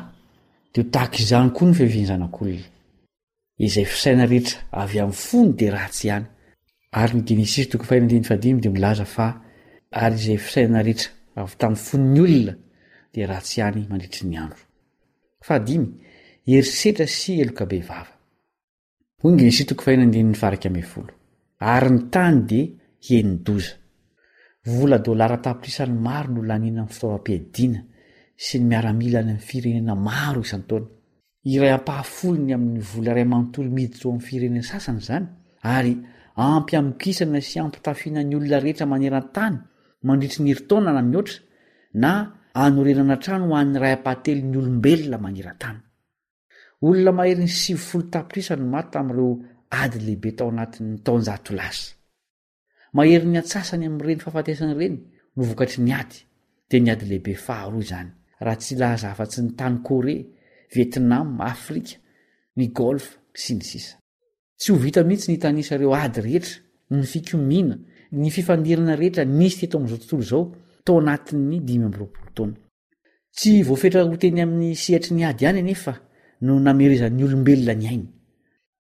dia ho tahaka izany koa ny fiavian'ny Zanak'olona. Izay fisaina rehetra avy amin'ny fony dia ratsy ihany. Ary ny Genesisy toko fahenina andininy fahadimy dia milaza fa ary izay fisaina rehetra avy tamin'ny fon'ny olona dia ratsy ihany mandritry ny andro. Fahadimy, herisetra sy heloka bevava. Hoy ny Genesisy toko fahenina andininy faha-iraika ambin'ny folo. Ary ny tany dia heni-doza. Vola dolara tapitrisany maro no laniana amin'ny fitaovam-piadiana sy ny miaramila any amin'ny firenena maro isan-taona. Iray ampahafolony amin'ny vola iray manontolo miditra ao amin'ny firenena sasany izany, ary ampy hamokisana sy hampitafiana ny olona rehetra maneran-tany mandritry ny herintaona na mihoatra, na hanorenana trano ho an'ny iray ampahatelon'ny olombelona maneran-tany. Olona maherin'ny sivifolo tapitrisa no maty tamin'ireo ady lehibe tao anatin'ny taonjato lasa. Maherin'ny antsasany amin'ireny fahafatesana ireny no vokatry ny ady, dia ny ady lehibe faharoa izany, raha tsy hilaza afa-tsy ny tany Korea, Vietnam, Afrika, ny Golfe, sy ny sisa. Tsy ho vita mihitsy ny hitanisa ireo ady rehetra, ny fikomiana, ny fifandirana rehetra nisy teto amin'izao tontolo izao tao anatin'ny dimy amby roapolo taona. Tsy voafetra ho teny amin'ny sehatry ny ady ihany anefa no namerezan'ny olombelona ny ainy.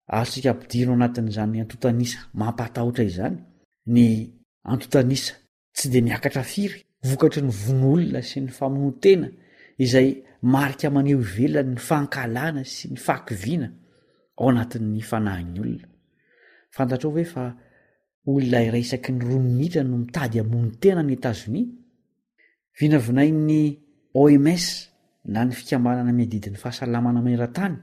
Azontsika ampidirina ao anatin'izany antontan'isa mampatahotra izany ny antontan'isa tsy dia miakatra firy vokatry ny vono olona sy ny famonoan-tena izay marika maneho ivelany ny fankahalana sy ny fahakiviana ao anatin'ny fanahin'ny olona. Fantatrao ve fa olona iray isaky ny roa minitra no mitady hamono tena any Etazonia? Vinavinain'ny O M S na ny fikambanana miadidy ny fahasalamana maneran-tany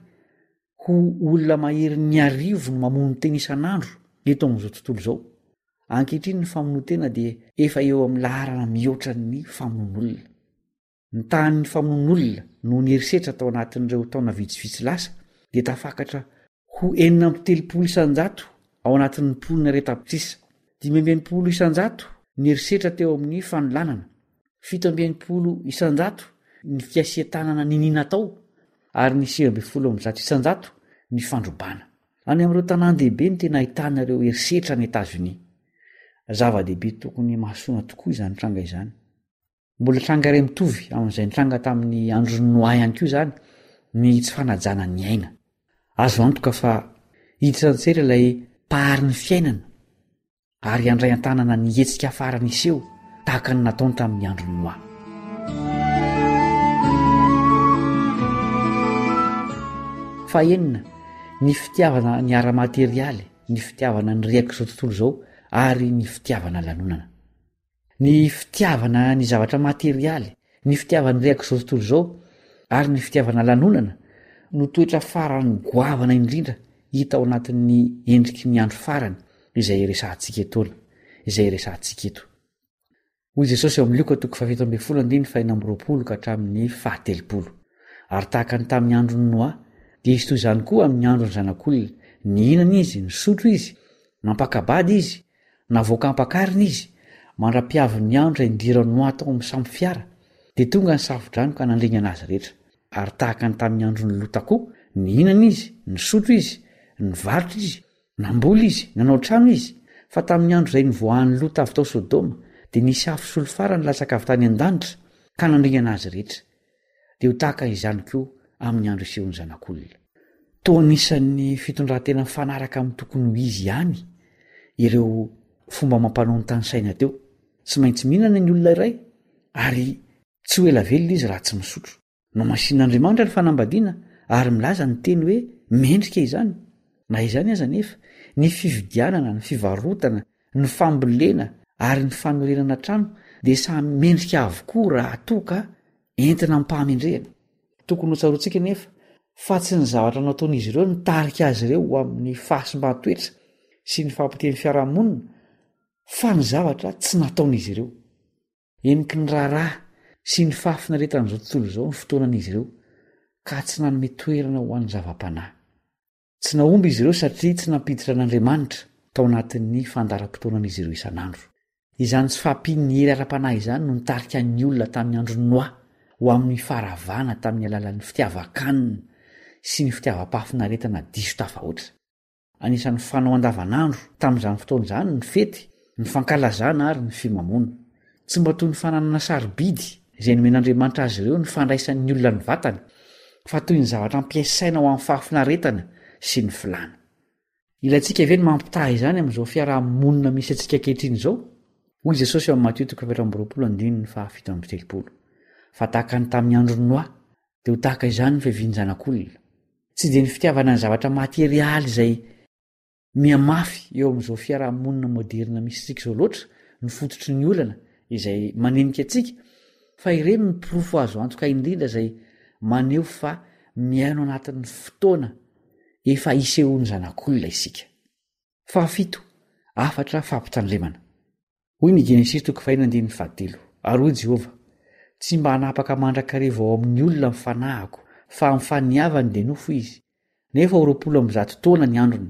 ho olona maherin'ny arivo no mamono tena isan'andro eto amin'izao tontolo izao. Ankehitriny ny famonoan-tena dia efa eo amin'ny laharana mihoatra ny famonoan'olona. Ny tahan'ny famonoan'olona noho ny herisetra tao anatin'ireo taona vitsivitsy lasa dia tafakatra ho enina amby telopolo isan-jato ao anatin'ny mponina iray tapitrisa, dimy amby enimpolo isan-jato ny herisetra teo amin'ny fanolanana, fito amby enimpolo isan-jato ny fiasian-tanana niniana atao, ary ny sivy ambin'ny folo amby zato isan-jato ny fandrobana. Any amin'ireo tanàn-dehibe no tena ahitana ireo herisetra any Etazonia. Zava-dehibe tokony himasoana tokoa izany tranga izany. Mbola tranga iray mitovy amin'izay nitranga tamin'ny andron'i Noa ihany koa izany ny tsy fanajana ny aina. Azo antoka fa hiditra an-tsetra ilay mpahary ny fiainana ary handray an-tanana ny hetsika farany hiseho tahaka ny nataony tamin'ny andron'i Noa. Fahenina, ny fitiavana ny ara-materialy, ny fitiavana ny rehak'izao tontolo izao ary ny fitiavana lanonana. Ny fitiavana ny zavatra materialy, ny fitiavana ny rehak'izao tontolo izao ary ny fitiavana lanonana no toetra farany goavana indrindra hita ao anatin'ny endriky ny andro farany izay resahantsika etoana, izay resahantsika eto. Hoy Jesosy ao amin'ny Lioka toko fahafito ambin'ny folo andininy fahenina amby roapolo ka hatramin'ny fahatelopolo. Ary tahaka ny tamin'ny andron'i Noa, dia hisy toy izany koa amin'ny andron'ny Zanak'olona, nihinana izy, nisotro izy, nampaka-bady izy, navoaka ampakarina izy, mandra-piavin'ny andro izay nidiran'i Noa tao amin'ny sambo fiara, dia tonga ny safo-drano ka nandringana azy rehetra. Ary tahaka ny tamin'ny andron'i Lota koa, nihinana izy, nisotro izy, nivarotra izy, namboly izy, nanao trano izy, fa tamin'ny andro izay nivoahan'i Lota avy tao Sodoma, dia nisy afo solifara nilatsaka avy tany an-danitra ka nandringana azy rehetra. Dia ho tahaka izany koa amin'ny andro hisehoan'ny Zanak'olona. Toa anisan'ny fitondran-tena mifanaraka amin'ny tokony ho izy ihany ireo fomba amam-panao notanisaina teo. Tsy maintsy mihinana ny olona iray ary tsy ho ela velona izy raha tsy misotro. Nohamasin'Andriamanitra ny fanambadiana ary milaza ny teny hoe mendrika izany. Na izany aza anefa, ny fividianana, ny fivarotana, ny fambolena ary ny fanorenana trano dia samy mendrika avokoa raha toa ka entina amim-pahamendrehana. Tokony hotsaroantsika anefa fa tsy ny zavatra nataon'izy ireo nitarika azy ireo ho amin'ny fahasimban-toetra sy ny fahapotehan'ny fiarahamonina fa ny zavatra tsy nataon'izy ireo. Heniky ny raharaha sy ny fahafinaretan'izao tontolo izao ny fotoanan'izy ireo ka tsy nanome toerana ho an'ny zava-panahy. Tsy nahomby izy ireo satria tsy nampiditra an'Andriamanitra tao anatin'ny fandaharam-potoanan'izy ireo isan'andro. Izany tsy fahampian'ny hery ara-panahy izany no nitarika ny olona tamin'ny andron'i Noa ho amin'ny faharavana tamin'ny alalan'ny fitiavan-kanina sy ny fitiavam-pahafinaretana diso tafahoatra. Anisan'ny fanao andavanandro tamin'izany fotoana izany ny fety, ny fankalazana ary ny fimamoana. Tsy mba toy ny fananana sarobidy izay nomen'Andriamanitra azy ireo ny fandraisan'ny olona ny vatany, fa toy ny zavatra ampiasaina ho amin'ny fahafinaretana sy ny filàna. Ilaintsika ve ny mampitaha izany amin'izao fiaraha-monina misy antsika ankehitriny izao? Hoy Jesosy ao amin'ny Matio toko fahaefatra amby roapolo andininy fahafito amby telopolo, Fa tahaka ny tamin'ny andron'i Noa, dia ho tahaka izany ny fiavian'ny Zanak'olona. Tsy dia ny fitiavana ny zavatra materialy izay mihamafy eo amin'izao fiaraha-monina moderina misy antsika izao loatra no fototry ny olana izay manenika antsika, fa ireny no porofo azo antoka indrindra izay maneho fa miaina ao anatin'ny fotoana efa hisehoan'ny Zanak'olona isika. Fahafito, hafatra fampitandremana. Hoy ny Genesisy toko faheno andininy fahatelo, Ary hoy Jehovah, Tsy mba hanapaka mandrakariva ao amin'ny olona ny fanahiko, fa amin'ny faniavany dia nofo izy, nefa ho roapolo amby zato taona ny androny.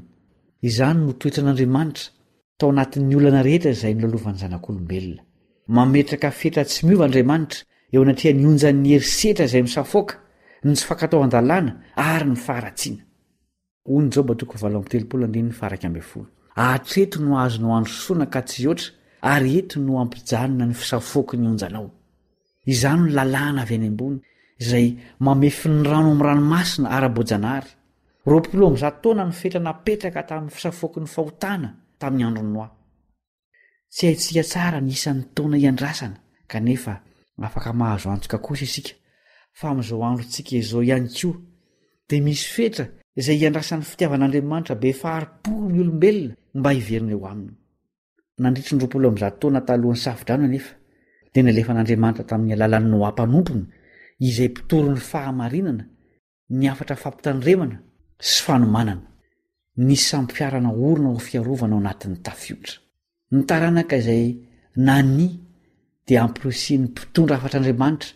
Izany no toetran'Andriamanitra tao anatin'ny olana rehetra izay nolalovan'ny zanak'olombelona. Mametraka fetra tsy miova Andriamanitra eo anatrehan'ny onjan'ny herisetra izay misafoaka, ny tsy fankatoavan-dalàna ary ny faharatsiana. Hoy ny Joba toko valo amby telopolo andininy faha-iraika ambin'ny folo, Hatreto no azonao androsoana ka tsy hihoatra, ary eto no hampijanona ny fisafoaky ny onjanao. Izany no lalàna avy any ambony, izay mamefy ny rano amin'ny ranomasina ara-boajanahary. Roapolo amby zato taona ny fetra napetraka tamin'ny fisafoaky ny fahotana tamin'ny andron'i Noa. Tsy haintsika tsara ny isan'ny taona iandrasana, kanefa afaka mahazo antoka kosa isika fa amin'izao androntsika izao ihany koa dia misy fetra izay iandrasan'ny fitiavan'Andriamanitra be fahari-po ny olombelona mba hiverina eo aminy. Nandritry ny roapolo amby zato taona talohan'ny Safodrano anefa, dia nalefan'Andriamanitra tamin'ny alalan'i Noa mpanompony, izay mpitory ny fahamarinana, ny hafatra fampitandremana sy fanomanana. Nisy sambo-fiara naorina ho fiarovana ao anatin'ny tafiotra. Ny taranaka izay nania dia amporisihin'ny mpitondra hafatr'Andriamanitra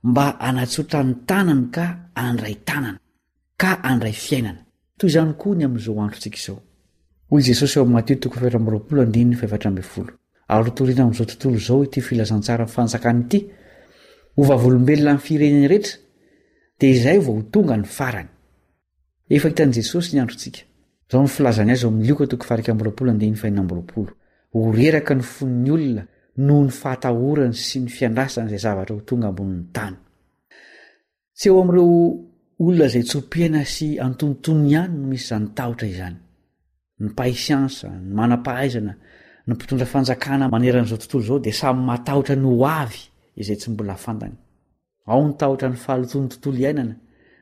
mba hanatsotra ny tanany ka handray tanana, ka handray fiainana. Toy izany koa ny amin'izao androntsika izao. Hoy Jesosy ao amin'ny Matio toko fahefatra amby roapolo andininy fahefatra ambin'ny folo, Ary hotorina amin'izao tontolo izao ity filazantsaran'ny fanjakana ity, ho vavolombelona amin'ny firenena rehetra, dia izay vao ho tonga ny farany. Efa hitan'i Jesosy ny androntsika. Izao no filazany azy ao amin'ny Lioka toko faha-iraika amby roapolo andininy fahenina amby roapolo, Ho reraka ny fon'ny olona noho ny fahatahorany sy ny fiandrasany izay zavatra ho tonga ambonin'ny tany. Tsy eo amin'ireo olona izay tso-piaina sy antonontonony ihany no misy izany tahotra izany. Ny mpahay siansa, ny manam-pahaizana, ny mpitondra fanjakana manerana izao tontolo izao dia samy matahotra ny ho avy izay tsy mbola fantany. Ao ny tahotra ny fahalotoan'ny tontolo iainana,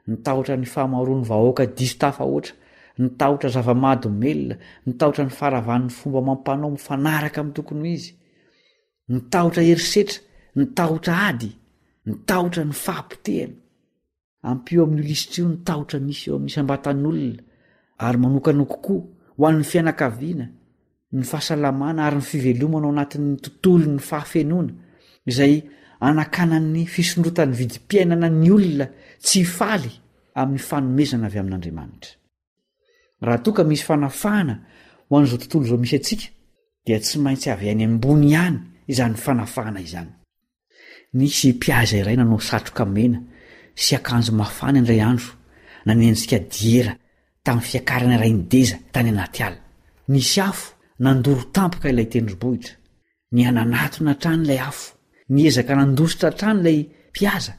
ny tahotra ny fahamaroan'ny vahoaka diso tafahoatra, ny tahotra zava-mahadomelina, ny tahotra ny faharavan'ny fomba amam-panao mifanaraka amin'ny tokony ho izy, ny tahotra herisetra, ny tahotra ady, ny tahotra ny fahapotehana. Ampio amin'io lisitra io ny tahotra misy eo amin'ny isam-batan'olona ary manokana kokoa ho an'ny fianakaviana, ny fahasalamana ary ny fivelomana ao anatin'ny tontolon'ny fahafenoana izay anakanan'ny fisondrotan'ny vidim-piainana ny olona tsy hifaly amin'ny fanomezana avy amin'Andriamanitra. Raha toa ka misy fanafahana ho an'izao tontolo izao misy antsika dia tsy maintsy avy any ambony ihany izany fanafahana izany. Nisy mpihaza iray nanao satroka mena sy akanjo mafana indray andro nanenjika diera tamin'ny fiakarana iray nideza tany anaty ala. Nisy afo nandoro tampoka ilay tendrombohitra. Nihananatona hatrany ilay afo. Niezaka nandositra hatrany ilay mpihaza.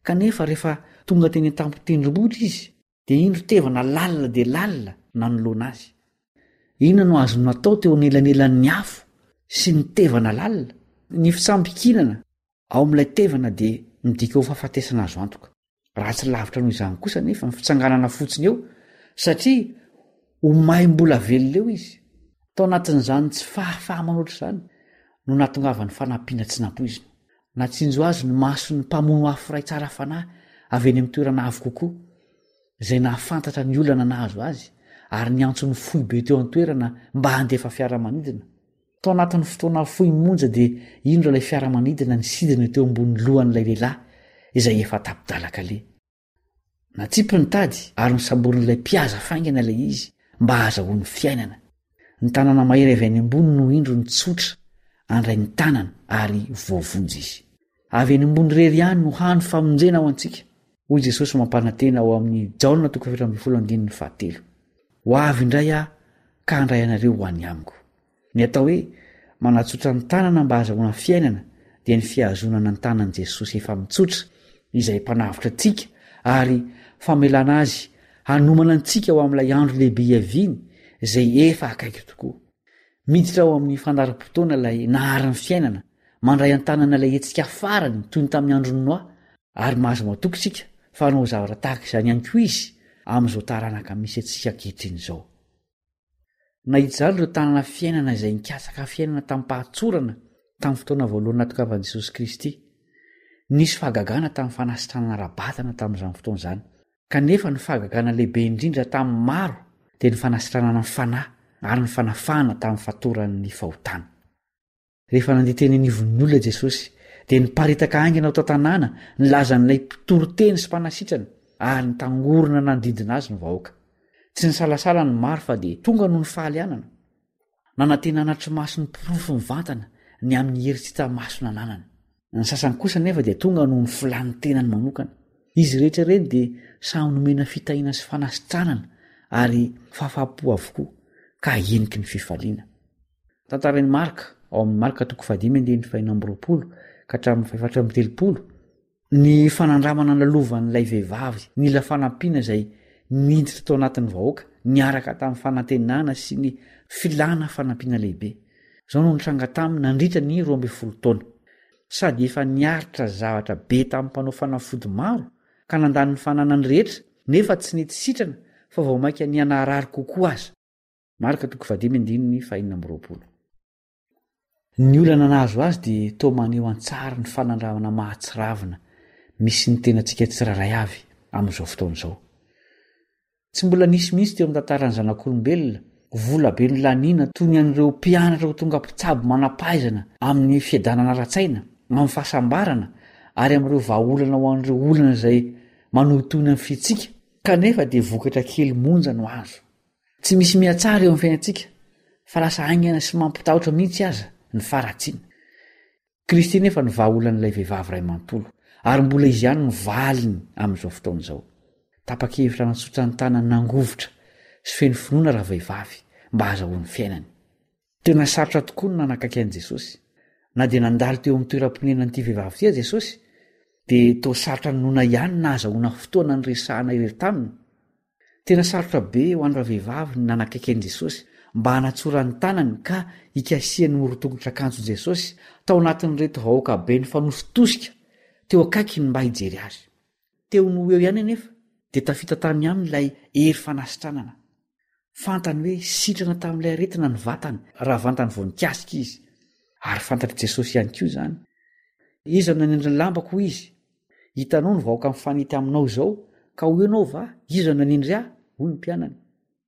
Kanefa rehefa tonga teny an-tampon-tendrombohitra izy dia indro tevana lalina dia lalina nanoloana azy. Inona no azony natao teo anelanelan'ny afo sy ny tevana lalina? Ny fitsambikinana ao amin'ilay tevana dia midika ho fahafatesana azo antoka. Ratsy lavitra noho izany kosa anefa ny fitsanganana fotsiny eo satria ho may mbola velona eo izy. Tao anatin'izany tsy fahafaha-manoatra izany no nahatongavan'ny fanampiana tsy nampoizina. Natsinjo azy ny mason'ny mpamono afo iray tsara fanahy avy eny amin'ny toerana avo kokoa, izay nahafantatra ny olana nahazo azy ary niantso ny foibe teo an-toerana mba handefa fiaramanidina. Tao anatin'ny fotoana fohy monja dia indro ilay fiaramanidina nisidina teo ambony lohan'ilay lehilahy izay efa tapi-dalan-kaleha. Natsipy ny tady ary nosamborin'ilay mpihaza faingana ilay izy mba hahazahoany fiainana. Ny tanana mahery avy any ambony no indro nitsotra handray ny tanany ary voavonjy izy. Avy any ambony irery ihany no hany famonjena ho antsika, hoy Jesosy mampanantena ao amin'ny Jaona toko fahefatra ambin'ny folo andininy fahatelo. Ho avy indray aho ka handray anareo ho any amiko. Ny atao hoe manatsotra ny tanana mba hahazahoana fiainana dia ny fihazonana ny tanan'i Jesosy efa mitsotra izay mpanavotra antsika ary famelana azy hanomana antsika ho amin'ilay andro lehibe hiaviany izay efa akaiky tokoa. Miditra ao amin'ny fandaharam-potoana ilay nahary ny fiainana, mandray an-tanana ilay hetsika farany toy ny tamin'ny andron'i Noa, ary mahazo matoky isika fa hanao zavatra tahaka izany ihany koa izy amin'izao taranaka misy antsika ankehitriny izao. Nahita izany ireo tanana fiainana izay nikatsaka fiainana tamim-pahatsorana tamin'ny fotoana voalohany nahatongavan'i Jesosy Kristy. Nisy fahagagana tamin'ny fanasitranana ara-batana tamin'izany fotoana izany. Kanefa ny fahagagana lehibe indrindra tamin'ny maro dia ny fanasitranana ny fanahy ary ny fanafahana tamin'ny fatoran'ny fahotana. Rehefa nandeha teny anivon'ny olona Jesosy, dia niparitaka haingana ao tan-tanàna nilaza an'ilay mpitoriteny sy mpanasitrana ary nitangorona nanodidina azy ny vahoaka. Tsy nisalasala ny maro fa dia tonga noho ny fahalianana. Nanantena hanatri-maso ny porofo mivantana ny amin'ny hery tsy hita maso nananany. Ny sasany kosa anefa dia tonga noho ny filàn'ny tenany manokana. Izy rehetra ireny dia samy nomena fitahiana sy fanasitranana ary fahafaham-po avokoa ka heniky ny fifaliana. Tantarain'i Marka ao amin'ny Marka toko fahadimy andininy fahenina amby roapolo ka hatramin'ny fahefatra amby telopolo ny fanandramana nalovan'ilay vehivavy nila fanampiana izay niditra tao anatin'ny vahoaka niaraka tamin'ny fanantenana sy ny filàna fanampiana lehibe. Izao no nitranga taminy nandritra ny roa ambin'ny folo taona. Sady efa niaritra zavatra be tamin'ny mpanao fanafody maro ka nandany ny fananany rehetra nefa tsy nety sitrana fa vao mainka nihanarary kokoa aza. Marka toko fahadimy andininy fahenina amby roapolo. Ny olana nahazo azy dia toa maneho an-tsary ny fanandramana mahatsiravina misy ny tenantsika tsirairay avy amin'izao fotoana izao. Tsy mbola nisy mihitsy teo amin'ny tantaran'ny zanak'olombelona vola be nolaniana toy ny an'ireo mpianatra ho tonga mpitsabo manam-pahaizana amin'ny fiadanana ara-tsaina, amin'ny fahasambarana ary amin'ireo vahaolana ho an'ireo olana izay manohintohina ny fihetsika, kanefa dia vokatra kely monja no azo. Tsy misy mihatsara eo amin'ny fiainantsika fa lasa haingana sy mampitahotra mihitsy aza ny faharatsiana. Kristy nefa no vahaolan'ilay vehivavy iray manontolo, ary mbola izy ihany no valiny amin'izao fotoana izao. Tapa-kevitra nanatsotra ny tanany nangovitra sy feno finoana ravehivavy mba hahazahoany fiainany. Tena sarotra tokoa ny nanakaiky an'i Jesosy. Na dia nandalo teo amin'ny toeram-ponenan'ity vehivavy ity aza Jesosy, dia toa sarotra ninoana ihany ny nahazahoana fotoana niresahana irery taminy. Tena sarotra be ho an'ny ravehivavy ny nanakaiky an'i Jesosy mba hanatsorany ny tanany ka hikasihany ny horon-tongotr'akanjon'i Jesosy tao anatin'ireto vahoaka be nifanositosika teo akaikiny mba hijery azy. Teo no ho eo ihany anefa Dia tafita tany aminy ilay hery fanasitranana. Fantany hoe sitrana tamin'ilay aretina ny vatany raha vantany vao nikasika izy. Ary fantatr'i Jesosy ihany koa izany. Iza no nanendry ny lambako hoy izy? Hitanao ny vahoaka mifanety aminao izao ka ho ianao va? Iza no nanendry ahy? Hoy ny mpianany.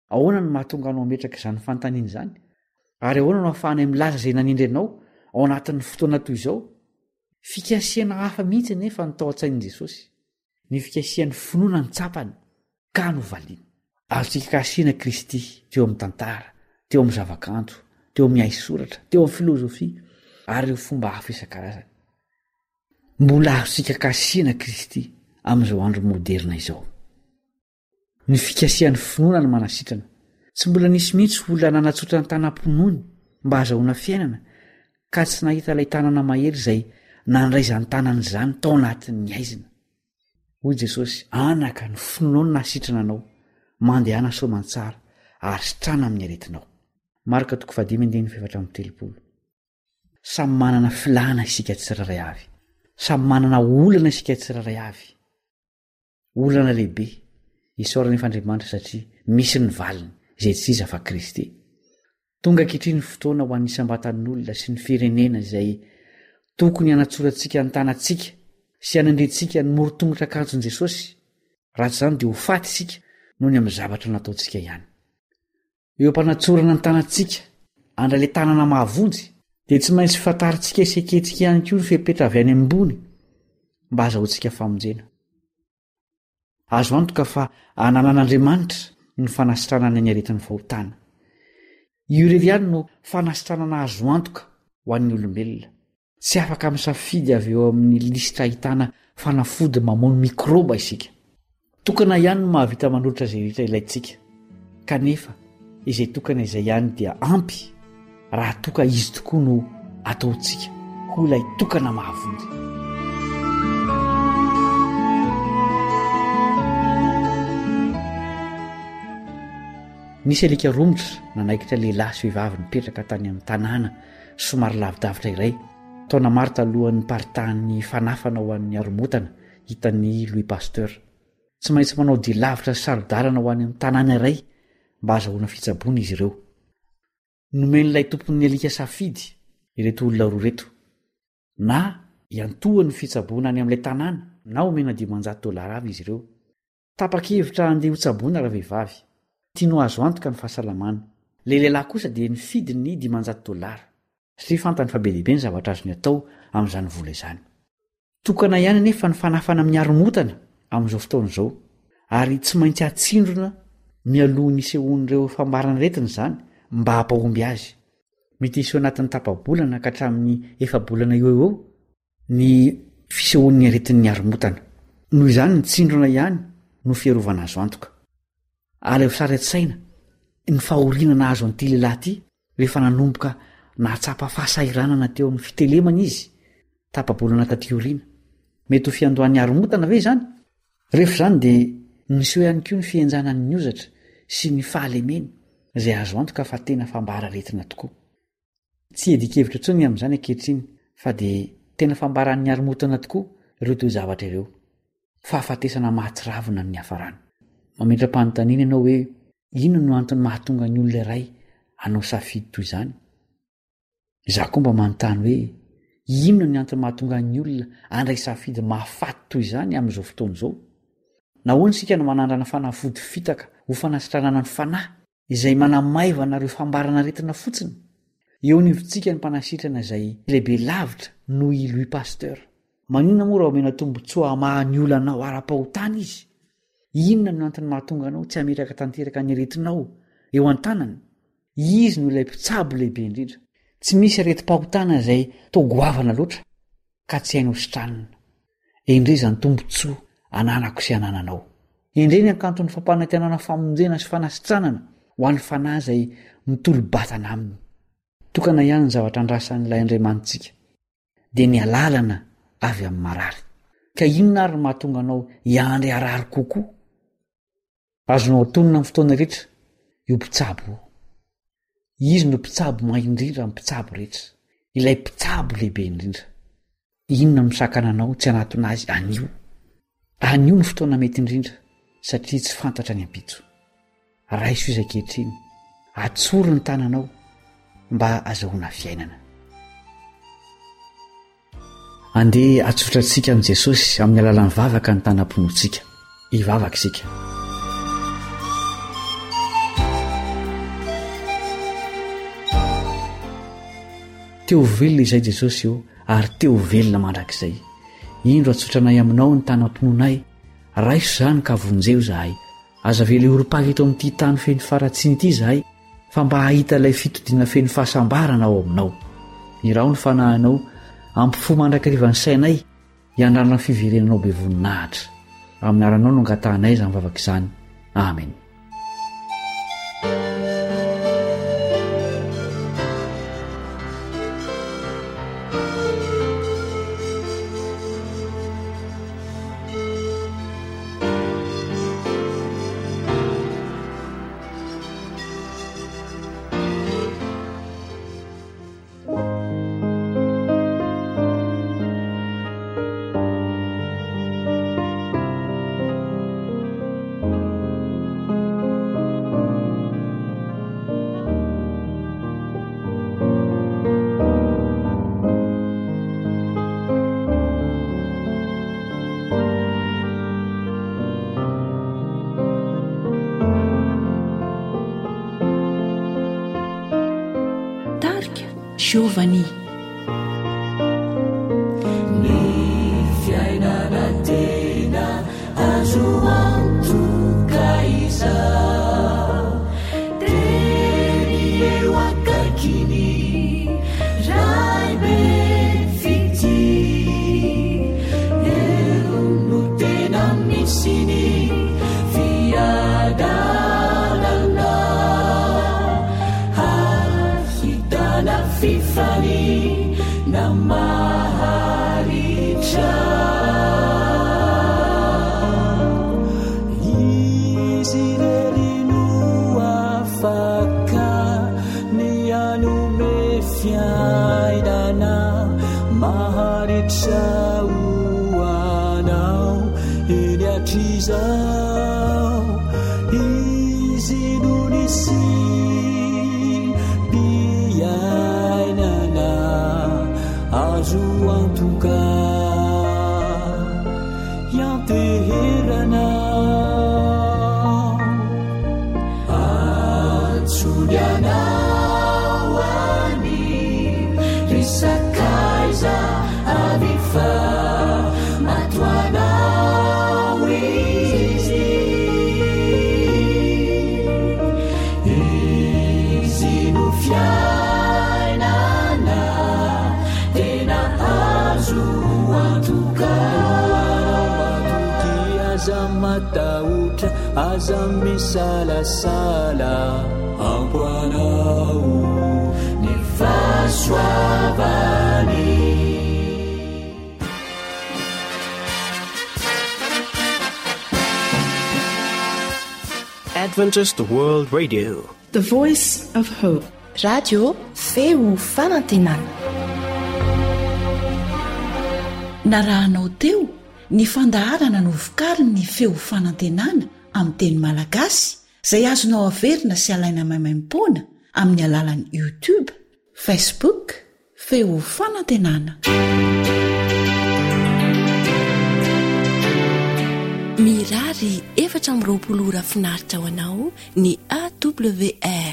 Ahoana no mahatonga anao hametraka izany fanontaniana izany? Ary ahoana no ahafahanay milaza izay nanendry anao ao anatin'ny fotoana toy izao? Fikasihana hafa mihitsy anefa no tao an-tsain'i Jesosy. Ny fikasihan'ny finoana no tsapany ka novaliany. Azontsika kasihina Kristy teo amin'ny tantara, teo amin'ny zavakanto, teo amin'ny haisoratra, teo amin'ny filozofia ary ireo fomba hafa isan-karazany. Mbola azontsika kasihina Kristy amin'izao andro moderina izao. Ny fikasihan'ny finoana no manasitrana. Tsy mbola nisy mihitsy olona nanatsotra ny tanam-pinoany mba hahazahoana fiainana ka tsy nahita ilay tanana mahery izay nandray izany tanana izany tao anatin'ny haizina. Hoy Jesosy, Anaka, ny finoanao no nahasitrana anao. Mandehana soamantsara ary sitrana amin'ny aretinao. Marka toko fahadimy andininy fahefatra amby telopolo. Samy manana filàna isika tsirairay avy. Samy manana olana isika tsirairay avy. Olana lehibe. Isaorana efa Andriamanitra satria misy ny valiny, izay tsy iza fa Kristy. Tonga ankehitriny ny fotoana ho an'ny isam-batan'olona sy ny firenena izay tokony hanatsorantsika ny tanantsika sy hanendrentsika ny morotongotr'akanjon'i Jesosy, raha tsy izany dia ho faty isika noho ny amin'ny zavatra nataontsika ihany. Eo am-panatsorana ny tanantsika handray ilay tanana mahavonjy, dia tsy maintsy fantarintsika sy ekentsika ihany koa ny fepetra avy any ambony mba hahazahoantsika famonjena. Azo antoka fa ananan'Andriamanitra ny fanasitranana ny aretin'ny fahotana. Io irery ihany no fanasitranana azo antoka ho an'ny olombelona. Tsy afaka misafidy avy eo amin'ny lisitra ahitana fanafody mamono mikraoba isika. Tokana ihany no mahavita manolotra izay rehetra ilaintsika. Kanefa, izay tokana izay ihany dia ampy raha toa ka izy tokoa no ataontsika ho ilay tokana mahavonjy. Nisy alika romotra nanaikitra lehilahy sy vehivavy nipetraka tany amin'ny tanàna somary lavidavitra iray, taona maro talohan'ny niparitahan'ny fanafana ho an'ny haromotana hitan'i Louis Pasteur. Tsy maintsy manao dia lavitra sy saro-dalana ho any amin'ny tanàna iray mba hahazahoana fitsaboana izy ireo. Nomen'ilay tompon'ny alika safidy ireto olona roa ireto, na hiantohany ny fitsaboana any amin'ilay tanàna na homena dimanjato dolara avy izy ireo. Tapa-kevitra handeha hotsaboina ravehivavy. Tiany ho azo antoka ny fahasalamany. Ilay lehilahy kosa dia nifidy ny dimanjato dolara, satria fantany fa be dia be ny zavatra azony atao amin'izany vola izany. Tokana ihany anefa ny fanafana amin'ny haromotana amin'izao fotoana izao, ary tsy maintsy atsindrona mialoha ny hisehoan'ireo fambaran'aretina izany mba hampahomby azy. Mety hiseho anatin'ny tapa-bolana ka hatramin'ny efa-bolana eo ho eo ny fisehoan'ny aretin'ny haromotana. Noho izany, ny tsindrona ihany no fiarovana azo antoka. Alaivo sary an-tsaina ny fahoriana nahazo an'ity lehilahy ity rehefa nanomboka nahatsapa fahasahiranana teo amin'ny fitelemana izy, tapa-bolana taty aoriana. Mety ho fiandohan'ny haromotana ve izany? Rehefa izany dia niseho ihany koa ny fihenjanan'ny hozatra sy ny fahalemeny, izay azo antoka fa tena fambara aretina tokoa. Tsy hiadian-kevitra intsony ny amin'izany ankehitriny fa dia tena fambaran'ny haromotana tokoa ireo toe-javatra ireo. Fahafatesana mahatsiravina no niafarany. Mametra-panontaniana ianao hoe inona no antony mahatonga ny olona iray hanao safidy toy izany? Izaho koa mba manontany hoe inona ny antony mahatonga ny olona handray safidy mahafaty toy izany amin'izao fotoana izao? Nahoana isika no manandrana fanafody fitaka ho fanasitranana ny fanahy izay manamaivana ireo fambaran'aretina fotsiny? Eo anivontsika ny mpanasitrana izay lehibe lavitra noho i Louis Pasteur. Maninona moa raha omena tombontsoa hamaha ny olanao ara-pahotana izy? Inona no antony mahatonga anao tsy hametraka tanteraka ny aretinao eo an-tanany? Izy no ilay mpitsabo lehibe indrindra. Tsy misy aretim-pahotana izay toa goavana loatra ka tsy hainy hositranina. Endrey izany tombontsoa ananako sy anananao. Endrey ny hakanton'ny fampanantenana famonjena sy fanasitranana ho an'ny fanahy izay mitolo-batana aminy. Tokana ihany ny zavatra andrasan'ilay Andriamanitsika, dia ny alalana avy amin'ny marary. Ka inona ary no mahatonga anao hiandry harary kokoa? Azonao atonina amin'ny fotoana rehetra io mpitsabo io. Izy no mpitsabo mahay indrindra amin'ny mpitsabo rehetra, ilay mpitsabo lehibe indrindra. Inona no misakana anao tsy hanatona azy anio? Anio no fotoana mety indrindra, satria tsy fantatra ny ampitso. Raiso izy ankehitriny, atsory ny tananao mba azahoana fiainana. Andeha hatsotra antsika amin'i Jesosy amin'ny alalan'ny vavaka ny tanam-pinoantsika. Hivavaka isika. Te ho velona izay Jesosy ô, ary te ho velona mandrakizay. Indro atsotranay aminao ny tanam-pinoanay, raiso izany ka vonjeo izahay. Aza avela hiorim-paka eto amin'ity tany feno faharatsiana ity izahay, fa mba hahita ilay fitodiana feno fahasambarana ao aminao. Iraho ny fanahinao, ampifoha mandrakariva ny sainay, hiandrana ny fiverenanao be voninahitra. Amin'ny anaranao no angatahanay izany vavaka izany. Amen. Tarika Giovanni. Ny fiainana tena azo antoka izao Teny eo akaikiny Ray be fitia Eo no tena misy ny fiadanana Ahitana fifaliana maharitra Izy irery no afaka ny hanome fiainana maharitra ho anao eny hatrizao. Izy no nisiam-piainana azo antoka ianteherana. Antsoiny anao anio, ry sakaiza avy fa matoanao izy. Izy no fiainana tena azo antoka. Matoky aza matahotra, aza misalasala, ampy anao ny fahasoavany. Adventist World Radio. The Voice of Hope. Radio Feo Fanantenana. Narahanao teo ny fandaharana novokarin'ny Feo Fanantenana amin'ny teny malagasy izay azonao averina sy alaina maimaimpoana amin'ny alalan'ny YouTube, Facebook, Feo Fanantenana. Mirary efatra amby roapolo ora finaritra ho anao ny A W R.